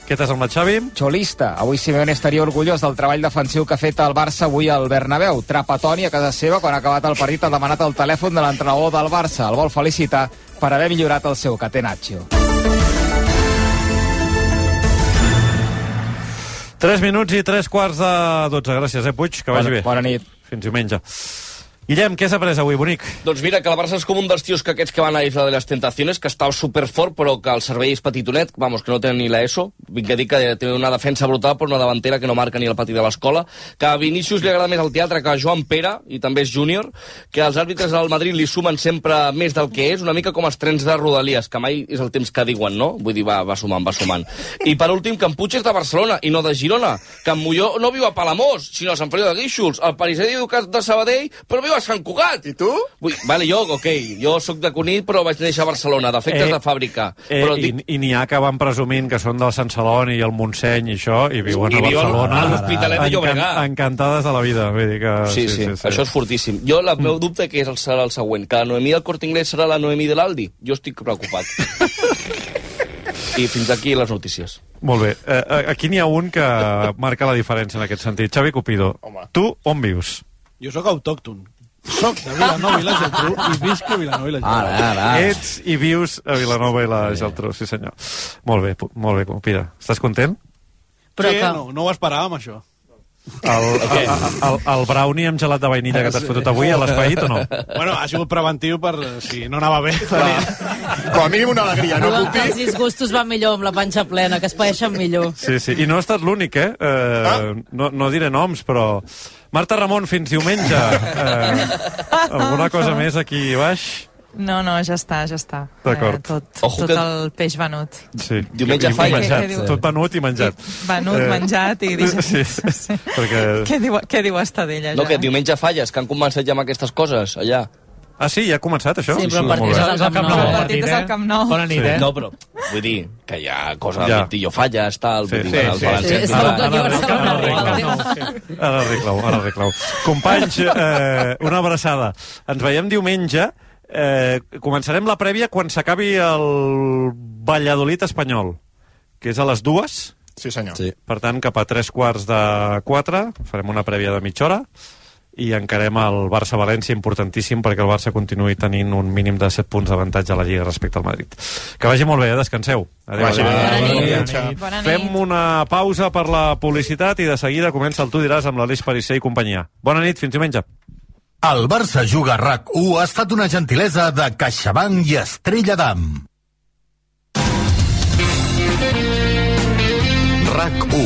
Què t'has semblat, Xavi? Xolista. Avui Simeone estaria orgullós del treball defensiu que ha fet el Barça avui al Bernabéu. Trapatoni a casa seva, quan ha acabat el partit, ha demanat el telèfon de l'entrenador del Barça. El vol felicitar per haver millorat el seu catenaccio. Tres minuts i tres quarts de dotze. Gràcies, eh, Puig? Que vagi bona, bé. Bona nit. Fins diumenge. Guillem, què has après avui, bonic? Doncs mira, que el Barça és com un dels tios que aquests que van a Isla de les Tentaciones, que està superfort, però que el servei és petitonet, vamos, que no tenen ni l'ESO. Vinc a dir que té una defensa brutal, però una davantera que no marca ni el pati de l'escola. Que a Vinícius li agrada més el teatre que a Joan Pere, i també és júnior, que els àrbitres del Madrid li sumen sempre més del que és, una mica com els trens de Rodalies, que mai és el temps que diuen, no? Vull dir, va, va sumant, va sumant. I per últim, que en Puig és de Barcelona i no de Girona, que en Molló no viu a Palamós, sinó a Sant Feliu de Guíxols, el Pariser diu que és de Sabadell, però viu a Sant Cugat. I tu? Vull, vale, jo, ok, jo sóc de Cunit, però vaig néixer a Barcelona, defectes eh, de fàbrica. Eh, però i i n'hi ha que van presumint que són del Sant Celoni i el Montseny i això, i viuen I a Barcelona. a l'Hospitalet de Llobregat. Encan encantades de la vida. Vull dir que, sí, sí, sí, sí, això és fortíssim. Jo, el meu dubte que és el, serà el següent, que la Noemí del Corte Inglés serà la Noemí de l'Aldi. Jo estic preocupat. I fins aquí les notícies. Molt bé. Eh, aquí n'hi ha un que marca la diferència en aquest sentit. Xavi Cupido, home, tu on vius? Jo sóc autòcton. Soc de Vilanova i la Geltrú i visc a Vilanova i la Geltrú. Ara, ara. Ets i vius a Vilanova i la Geltrú, sí senyor. Molt bé, molt bé, Cupido. Estàs content? Però sí, que... no, no ho esperàvem, això. El, el, el, el brownie amb gelat de vainilla que t'has fotut avui a l'espaït o no? Bueno, ha sigut preventiu per si no anava bé. Com a mínim una alegria, no, Pupi? Els disgustos van millor amb la panxa plena, que es paeixen millor. Sí, sí, i no ha estat l'únic, eh? eh ah? no, no diré noms, però... Marta Ramon, fins diumenge. Eh, alguna cosa més aquí baix? No, no, ja està, ja està. D'acord. Eh, tot tot que... el peix venut. Sí. Diumenge falla. Menjat. Tot venut i menjat. Venut, eh... menjat i digerit. Sí, sí. Perquè... Què diu, què diu Estadella, ja? No, que diumenge falles, que han començat ja amb aquestes coses, allà. Ah, sí? Ja ha començat, això? Sí, però el partit és al Camp Nou. El partit és al Camp Nou. Bona nit, eh? No, però vull dir, que hi ha cosa del Vintillo falles, tal, vull dir, el València... Ara arreglau, ara arreglau. Companys, eh, una abraçada. Ens veiem diumenge. Eh, començarem la prèvia quan s'acabi el Valladolid espanyol, que és a les dues. Sí, senyor. Sí. Per tant, cap a tres quarts de quatre farem una prèvia de mitja hora i encarem el Barça-València, importantíssim perquè el Barça continuï tenint un mínim de set punts d'avantatge a la Lliga respecte al Madrid. Que vagi molt bé, eh? Descanseu. Adéu. Vagi bé. Bona Bona nit. nit. Bona nit. Fem una pausa per la publicitat i de seguida comença el Tu diràs amb l'Aleix Parisser i companyia. Bona nit, fins diumenge. El Barça Juga a RAC u ha estat una gentilesa de CaixaBank i Estrella d'Am. RAC u.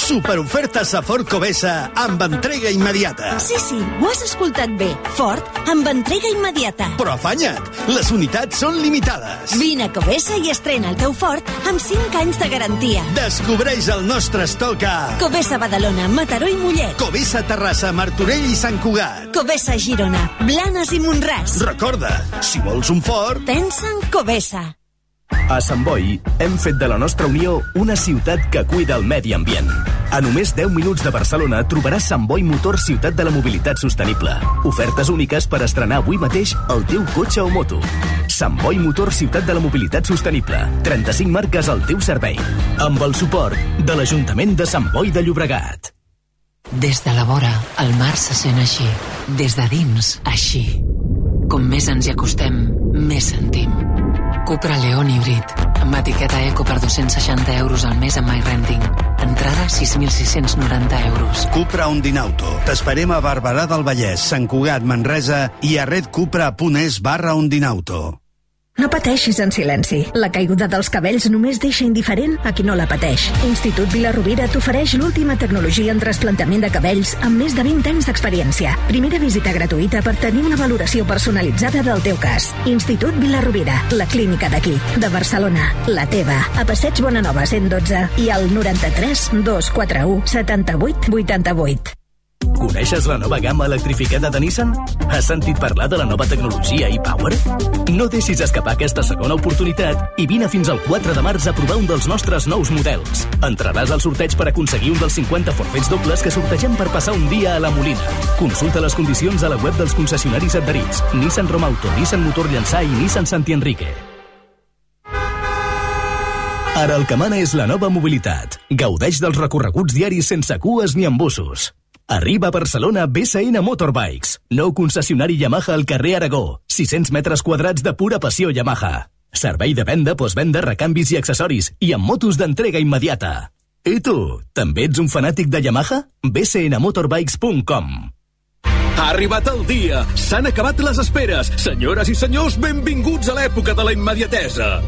Superofertes a Ford Covesa amb entrega immediata. Sí, sí, ho has escoltat bé. Ford amb entrega immediata. Però afanya't, les unitats són limitades. Vine a Covesa i estrena el teu Ford amb cinc anys de garantia. Descobreix el nostre estoc a Covesa Badalona, Mataró i Mollet. Covesa Terrassa, Martorell i Sant Cugat. Covesa Girona, Blanes i Montràs. Recorda, si vols un Ford, pensa en Covesa. A Sant Boi hem fet de la nostra Unió una ciutat que cuida el medi ambient. A només deu minuts de Barcelona trobaràs Sant Boi Motor Ciutat de la Mobilitat Sostenible. Ofertes úniques per estrenar avui mateix el teu cotxe o moto. Sant Boi Motor Ciutat de la Mobilitat Sostenible. trenta-cinc marques al teu servei. Amb el suport de l'Ajuntament de Sant Boi de Llobregat. Des de la vora, el mar se sent així. Des de dins, així. Com més ens hi acostem, més sentim. Cupra León Híbrid, amb etiqueta eco per dos-cents seixanta euros al mes amb MyRenting. Entrada sis mil sis-cents noranta euros. Cupra Ondinauto. T'esperem a Barberà del Vallès, Sant Cugat, Manresa i a redcupra.es barra Ondinauto. No pateixis en silenci. La caiguda dels cabells només deixa indiferent a qui no la pateix. Institut Vila-rovira t'ofereix l'última tecnologia en trasplantament de cabells amb més de vint anys d'experiència. Primera visita gratuïta per tenir una valoració personalitzada del teu cas. Institut Vila-rovira, la clínica d'aquí, de Barcelona, la teva. A Passeig Bonanova cent dotze i al noranta-tres dos quatre u setanta-vuit vuitanta-vuit. Coneixes la nova gamma electrificada de Nissan? Has sentit parlar de la nova tecnologia e-Power? No deixis escapar aquesta segona oportunitat i vine fins al quatre de març a provar un dels nostres nous models. Entraràs al sorteig per aconseguir un dels cinquanta forfets dobles que sortegem per passar un dia a la Molina. Consulta les condicions a la web dels concessionaris adherits. Nissan Romauto, Nissan Motor Llançà i Nissan Santi Enrique. Ara el que mana és la nova mobilitat. Gaudeix dels recorreguts diaris sense cues ni embussos. Arriba a Barcelona B S N Motorbikes, nou concessionari Yamaha al carrer Aragó, sis-cents metres quadrats de pura passió Yamaha. Servei de venda, postvenda, recanvis i accessoris, i amb motos d'entrega immediata. I tu, també ets un fanàtic de Yamaha? b s n motorbikes punt com. Ha arribat el dia! S'han acabat les esperes! Senyores i senyors, benvinguts a l'època de la immediatesa!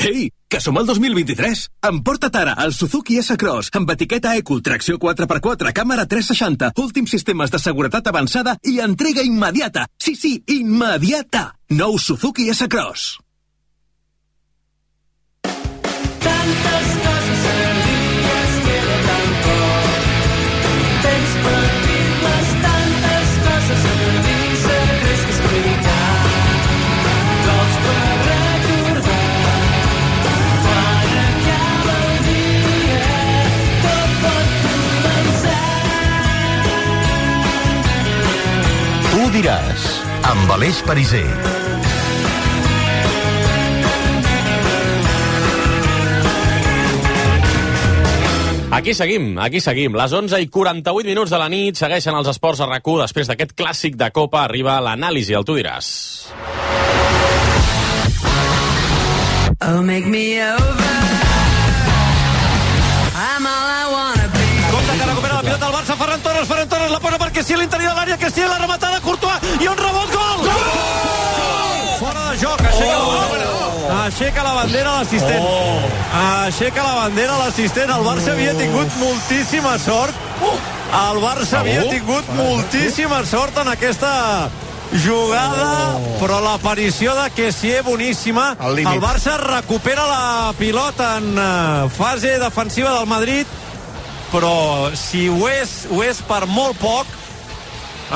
Ei, que som al dos mil vint-i-tres! Emporta't ara el Suzuki S-Cross amb etiqueta Eco, tracció quatre per quatre, càmera tres seixanta, últims sistemes de seguretat avançada i entrega immediata! Sí, sí, immediata! Nou Suzuki S-Cross. Tantes coses servides queda tan poc. Tens per dir-les tantes coses a dir, secrets que explicar. Cols per recordar. Quan acaba el dia, tot pot començar. Tu diràs, amb Aleix Parisser. Aquí seguim, aquí seguim. Les onze i quaranta-vuit minuts de la nit segueixen els esports a RAC u. Després d'aquest clàssic de Copa arriba l'anàlisi, el Tu diràs. Oh, make me over. I'm all I wanna be. Compte que recupera la pilota el Barça, Ferran Torres, Ferran Torres la posa per Kessie a l'interior de l'àrea, Kessie la rematada, Courtois, i un rebot, gol! Gol! Fora de joc, aixeca oh! la bandera. Aixeca la bandera l'assistent. Oh! Aixeca la bandera l'assistent. El Barça havia tingut moltíssima sort. El Barça havia tingut moltíssima sort en aquesta jugada, però l'aparició de Kessie boníssima. El Barça recupera la pilota en fase defensiva del Madrid, però si ho és, ho és per molt poc.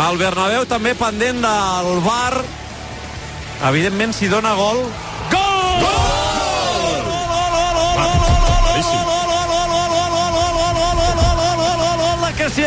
El Bernabéu també pendent del V A R. Evidentment, si dona gol... Gol! Que sí!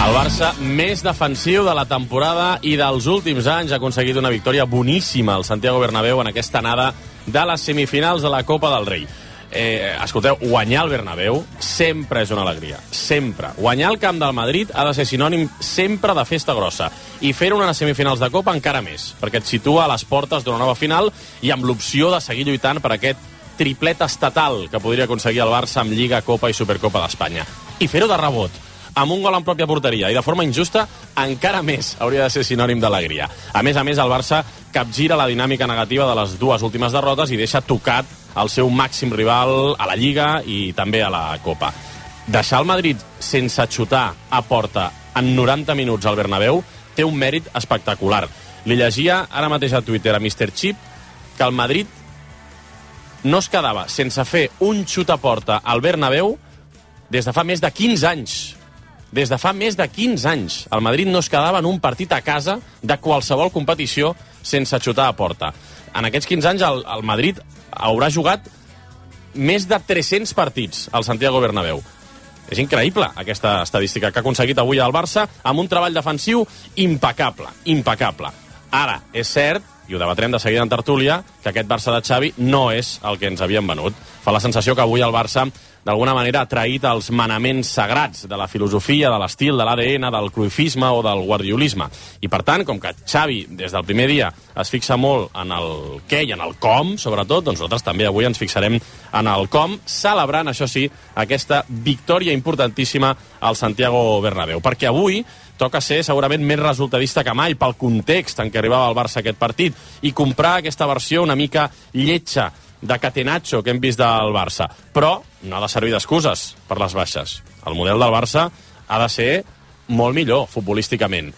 El Barça més defensiu de la temporada i dels últims anys ha aconseguit una victòria boníssima al Santiago Bernabéu en aquesta anada de les semifinals de la Copa del Rei. Eh, escolteu, guanyar al Bernabéu sempre és una alegria, sempre. Guanyar al camp del Madrid ha de ser sinònim sempre de festa grossa i fer-ho en les semifinals de Copa encara més, perquè et situa a les portes d'una nova final i amb l'opció de seguir lluitant per aquest triplet estatal que podria aconseguir el Barça amb Lliga, Copa i Supercopa d'Espanya. I fer-ho de rebot, amb un gol en pròpia porteria i de forma injusta, encara més hauria de ser sinònim d'alegria. A més a més, el Barça capgira la dinàmica negativa de les dues últimes derrotes i deixa tocat el seu màxim rival a la Lliga i també a la Copa. Deixar el Madrid sense xutar a porta en noranta minuts al Bernabéu té un mèrit espectacular. Li llegia ara mateix a Twitter a míster Chip que el Madrid no es quedava sense fer un xut a porta al Bernabéu des de fa més de quinze anys. Des de fa més de quinze anys. El Madrid no es quedava en un partit a casa de qualsevol competició sense xutar a porta. En aquests quinze anys el, el Madrid haurà jugat més de tres-cents partits al Santiago Bernabéu. És increïble aquesta estadística que ha aconseguit avui el Barça amb un treball defensiu impecable, impecable. Ara, és cert, i ho debatrem de seguida en tertúlia, que aquest Barça de Xavi no és el que ens havien venut. Fa la sensació que avui el Barça d'alguna manera ha traït els manaments sagrats de la filosofia, de l'estil, de l'A D N, del cruifisme o del guardiolisme. I per tant, com que Xavi des del primer dia es fixa molt en el què i en el com, sobretot, doncs nosaltres també avui ens fixarem en el com, celebrant, això sí, aquesta victòria importantíssima al Santiago Bernabéu. Perquè avui toca ser segurament més resultadista que mai pel context en què arribava el Barça aquest partit i comprar aquesta versió una mica lletja de catenaccio que hem vist del Barça. Però no ha de servir d'excuses per les baixes. El model del Barça ha de ser molt millor futbolísticament.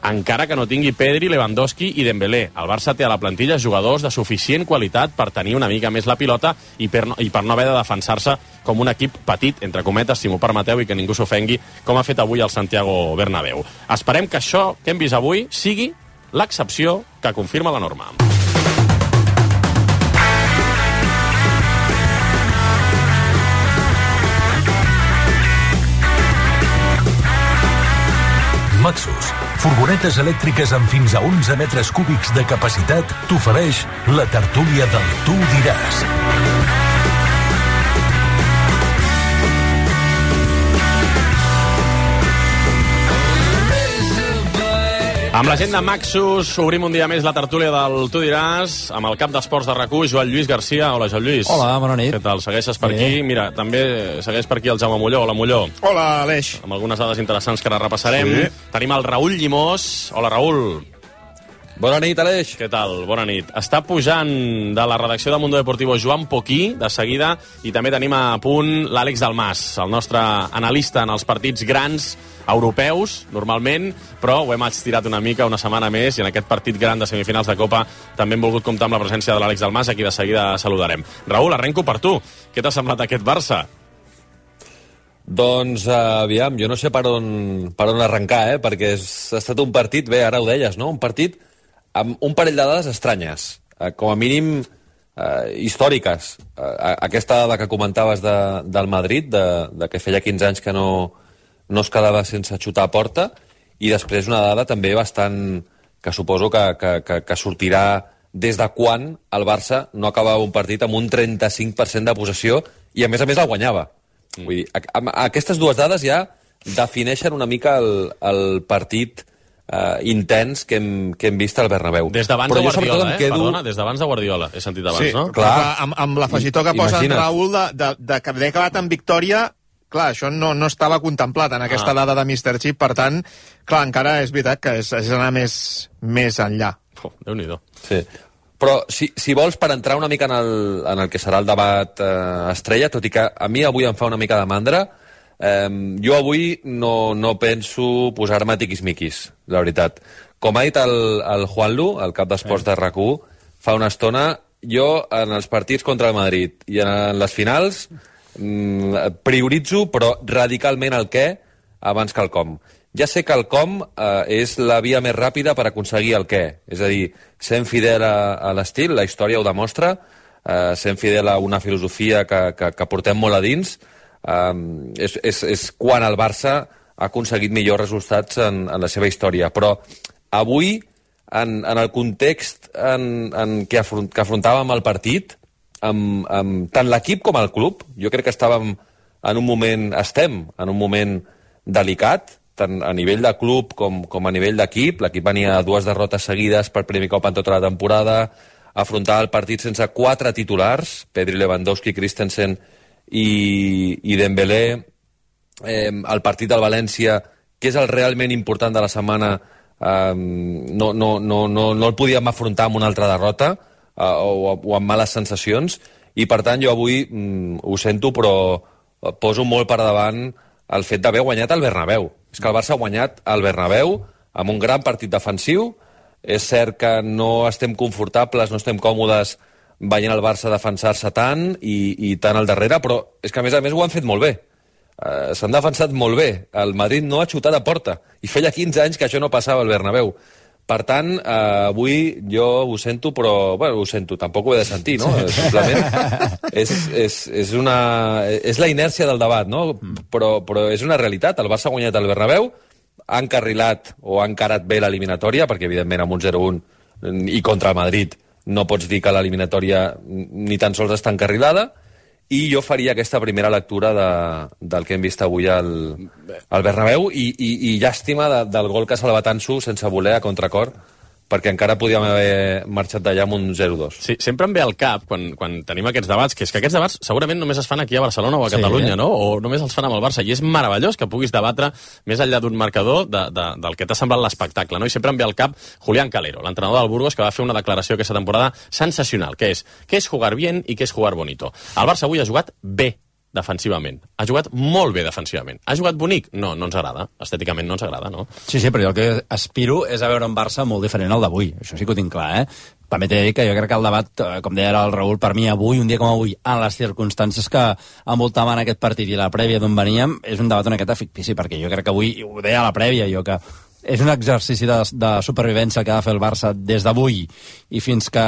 Encara que no tingui Pedri, Lewandowski i Dembélé. El Barça té a la plantilla jugadors de suficient qualitat per tenir una mica més la pilota i per no, i per no haver de defensar-se com un equip petit, entre cometes, si m'ho permeteu, i que ningú s'ofengui, com ha fet avui el Santiago Bernabéu. Esperem que això que hem vist avui sigui l'excepció que confirma la norma. Maxus, furgonetes elèctriques amb fins a onze metres cúbics de capacitat, t'ofereix la tertúlia del Tu diràs. Amb la gent de Maxus obrim un dia més la tertúlia del Tu diràs amb el cap d'esports de RAC1, Joan Lluís Garcia. Hola, Joan Lluís. Hola, bona nit. Què tal? Segueixes per Sí. aquí? Mira, també segueix per aquí el Jaume Molló. Hola, Molló. Hola, Aleix. Amb algunes dades interessants que ara repassarem. Sí. Tenim el Raül Llimós. Hola, Raül. Bona nit, Aleix. Què tal? Bona nit. Està pujant de la redacció de Mundo Deportivo Joan Poquí, de seguida, i també tenim a punt l'Àlex Dalmas, el nostre analista en els partits grans europeus, normalment, però ho hem estirat una mica, una setmana més, i en aquest partit gran de semifinals de Copa també hem volgut comptar amb la presència de l'Àlex Dalmas, a qui de seguida saludarem. Raül, arrenco per tu. Què t'ha semblat aquest Barça? Doncs, uh, aviam, jo no sé per on, per on arrencar, eh? Perquè és, ha estat un partit, bé, ara ho deies, no? Un partit amb un parell de dades estranyes, uh, com a mínim uh, històriques. Uh, aquesta dada que comentaves de, del Madrid, de, de que feia quinze anys que no, no es quedava sense xutar a porta, i després una dada també bastant, que suposo que, que, que, que sortirà des de quan el Barça no acabava un partit amb un trenta-cinc per cent de possessió i a més a més el guanyava. Mm. Vull dir, a, a, aquestes dues dades ja defineixen una mica el, el partit Uh, intens que hem, que hem vist al Bernabéu. Des d'abans de Guardiola, eh? Quedo... Perdona, des d'abans de Guardiola, he sentit abans, sí, no? Clar, clar amb, amb l'afegitó que posa en Raül de, de, de que havia acabat en victòria, clar, això no, no estava contemplat en aquesta ah. dada de míster Chip, per tant, clar, encara és veritat que és, és anar més, més enllà. Oh, Déu-n'hi-do. Sí. Però si, si vols, per entrar una mica en el, en el que serà el debat eh, estrella, tot i que a mi avui em fa una mica de mandra, eh, jo avui no, no penso posar-me tiquismiquis, la veritat. Com ha dit el, el Juanlu, el cap d'esports de RAC u, fa una estona, jo en els partits contra el Madrid i en les finals mm, prioritzo, però radicalment el què abans que el com. ja sé que el com eh, és la via més ràpida per aconseguir el què. És a dir, sent fidel a, a l'estil, la història ho demostra, eh, sent fidel a una filosofia que, que, que portem molt a dins, eh, és, és, és quan el Barça ha aconseguit millors resultats en, en la seva història. Però avui, en, en el context en, en què, afront, que afrontàvem el partit, amb, amb tant l'equip com el club, jo crec que estàvem en un moment, estem en un moment delicat, tant a nivell de club com, com a nivell d'equip. L'equip venia a dues derrotes seguides per primer cop en tota la temporada, afrontar el partit sense quatre titulars, Pedri, Lewandowski, Christensen i, i Dembélé. Eh, el partit del València, que és el realment important de la setmana, eh, no, no, no, no, no el podíem afrontar amb una altra derrota eh, o, o amb males sensacions, i per tant jo avui mm, ho sento, però poso molt per davant el fet d'haver guanyat el Bernabéu. És que el Barça ha guanyat el Bernabéu amb un gran partit defensiu. És cert que no estem confortables, no estem còmodes veient el Barça defensar-se tant i, i tant al darrere, però és que a més a més ho han fet molt bé. Uh, s'han defensat molt bé. El Madrid no ha xutat a porta i feia quinze anys que això no passava al Bernabéu. Per tant, uh, avui jo ho sento, però bueno, ho sento, tampoc ho he de sentir, no? Sí. Simplement és, és, és, una, és la inèrcia del debat, no? Però, però és una realitat. El Barça ha guanyat el Bernabéu, ha encarrilat o ha encarat bé l'eliminatòria, perquè evidentment amb un zero un i contra el Madrid no pots dir que l'eliminatòria ni tan sols està encarrilada, i jo faria aquesta primera lectura de, del que hem vist avui al, al Bernabéu, i, i, i llàstima de, del gol que ha salvat Ansu sense voler a contracor, perquè encara podíem haver marxat d'allà amb un zero dos. Sí, sempre em ve al cap, quan, quan tenim aquests debats, que és que aquests debats segurament només es fan aquí a Barcelona o a Catalunya, sí, no? O només els fan amb el Barça, i és meravellós que puguis debatre més enllà d'un marcador de, de, del que t'ha semblat l'espectacle, no? I sempre em ve al cap Julián Calero, l'entrenador del Burgos, que va fer una declaració aquesta temporada sensacional, que és, què és jugar bien i què és jugar bonito. El Barça avui ha jugat bé defensivament. Ha jugat molt bé defensivament. Ha jugat bonic? No, no ens agrada. Estèticament no ens agrada, no? Sí, sí, però jo el que aspiro és a veure un Barça molt diferent al d'avui. Això sí que ho tinc clar, eh? També t'he de dir que jo crec que el debat, com deia el Raül, per mi avui, un dia com avui, en les circumstàncies que envoltaven aquest partit i la prèvia d'on veníem, és un debat una miqueta fictici, perquè jo crec que avui, ho deia a la prèvia, jo que és un exercici de, de supervivència que ha de fer el Barça des d'avui i fins que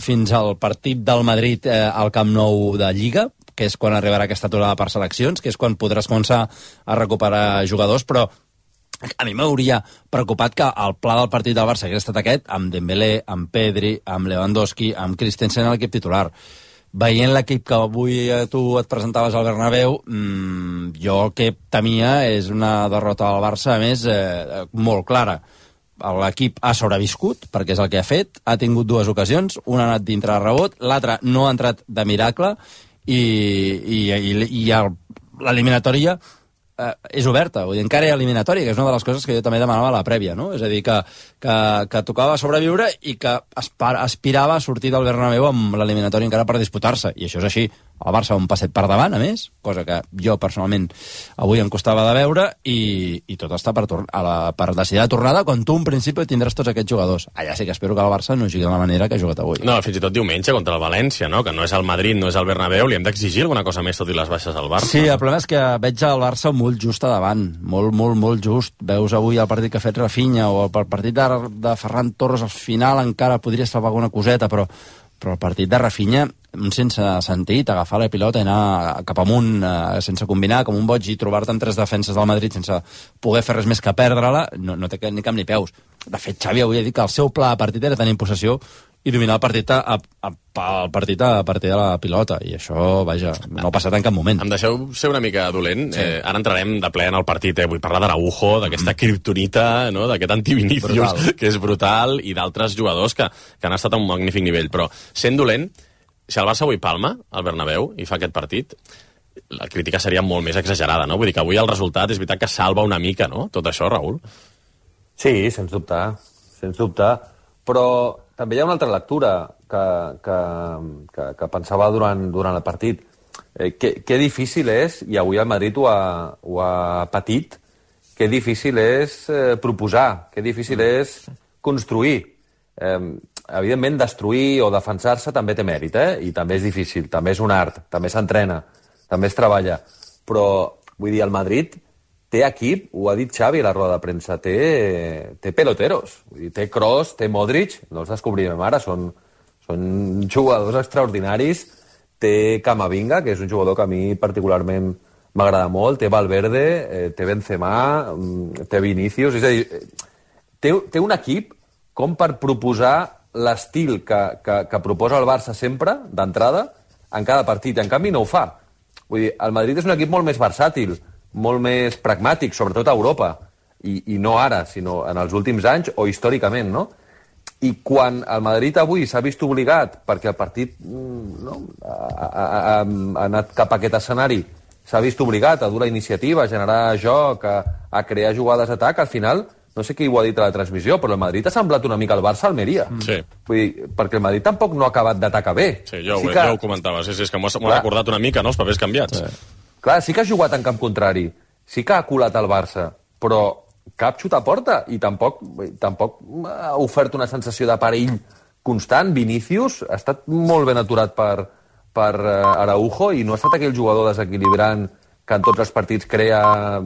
fins al partit del Madrid eh, al Camp Nou de Lliga, que és quan arribarà aquesta aturada per seleccions, que és quan podràs començar a recuperar jugadors, però a mi m'hauria preocupat que el pla del partit del Barça hagués estat aquest, amb Dembélé, amb Pedri, amb Lewandowski, amb Christensen a l'equip titular. Veient l'equip que avui tu et presentaves al Bernabéu, mmm, jo el que temia és una derrota del Barça, a més, eh, molt clara. L'equip ha sobreviscut, perquè és el que ha fet, ha tingut dues ocasions, una ha anat dintre de rebot, l'altra no ha entrat de miracle, i, i, i, i l'eliminatòria eh, és oberta, vull dir, encara hi ha eliminatòria, que és una de les coses que jo també demanava a la prèvia, no? És a dir, que, que, que tocava sobreviure i que aspirava a sortir del Bernabéu amb l'eliminatòria encara per disputar-se, i això és així. El Barça un passet per davant, a més, cosa que jo personalment avui em costava de veure, i, i tot està per, a la, per decidir la tornada, quan tu en principi tindràs tots aquests jugadors. Allà sí que espero que el Barça no jugui de la manera que ha jugat avui. No, fins i tot diumenge contra el València, no? Que no és el Madrid, no és el Bernabéu, li hem d'exigir alguna cosa més tot i les baixes al Barça. Sí, el problema és que veig el Barça molt just a davant, molt, molt, molt just. Veus avui el partit que ha fet Rafinha o el partit de, de Ferran Torres al final encara podria salvar alguna coseta, però però el partit de Rafinha, un sense sentit, agafar la pilota i anar cap amunt, eh, sense combinar, com un boig, i trobar-te amb tres defenses del Madrid sense poder fer res més que perdre-la, no, no té ni cap ni peus. De fet, Xavi avui ha dit que el seu pla de partit era tenir possessió i dominar el partit a, a, a, el partit a partir de la pilota, i això, vaja, no ha passat en cap moment. Em deixeu ser una mica dolent. Sí. Eh, ara entrarem de ple en el partit, eh? Vull parlar d'Araujo, d'aquesta kriptonita, no? D'aquest antivinicius, que és brutal, i d'altres jugadors que, que han estat a un magnífic nivell. Però, sent dolent, si el Barça avui palma al Bernabéu i fa aquest partit, la crítica seria molt més exagerada, no? Vull dir que avui el resultat és veritat que salva una mica, no?, tot això, Raül. Sí, sens dubte, sens dubte, però també hi ha una altra lectura que, que, que, que pensava durant, durant el partit. Eh, que, que difícil és, i avui el Madrid ho ha, ho ha patit, que difícil és eh, proposar, que difícil és construir. Eh, evidentment, destruir o defensar-se també té mèrit, eh? I també és difícil, també és un art, també s'entrena, també es treballa. Però, vull dir, el Madrid té equip, ho ha dit Xavi a la roda de premsa, té, té peloteros. Vull dir, té Kroos, té Modric, no els descobrirem ara, són, són jugadors extraordinaris. Té Camavinga, que és un jugador que a mi particularment m'agrada molt, té Valverde, eh, té Benzema, té Vinícius, és a dir, té, té un equip com per proposar l'estil que, que, que proposa el Barça sempre, d'entrada, en cada partit. En canvi, no ho fa. Vull dir, el Madrid és un equip molt més versàtil, molt més pragmàtic, sobretot a Europa, i, i no ara, sinó en els últims anys o històricament, no? I quan el Madrid avui s'ha vist obligat, perquè el partit no, ha, ha, ha anat cap a aquest escenari, s'ha vist obligat a dur la iniciativa, a generar joc, a, a crear jugades d'atac, al final, no sé qui ho ha dit a la transmissió, però el Madrid ha semblat una mica el Barça-Almeria. Sí. Vull dir, perquè el Madrid tampoc no ha acabat d'atacar bé. Sí, jo, sí ho, que... jo ho comentava, sí, sí, és que m'ho ha, ha recordat una mica, no?, els papers canviats. Sí. Clar, sí que ha jugat en camp contrari, sí que ha colat el Barça, però cap xut a porta, i tampoc, tampoc ha ofert una sensació de perill constant. Vinícius ha estat molt ben aturat per, per Araujo i no ha estat aquell jugador desequilibrant que en tots els partits crea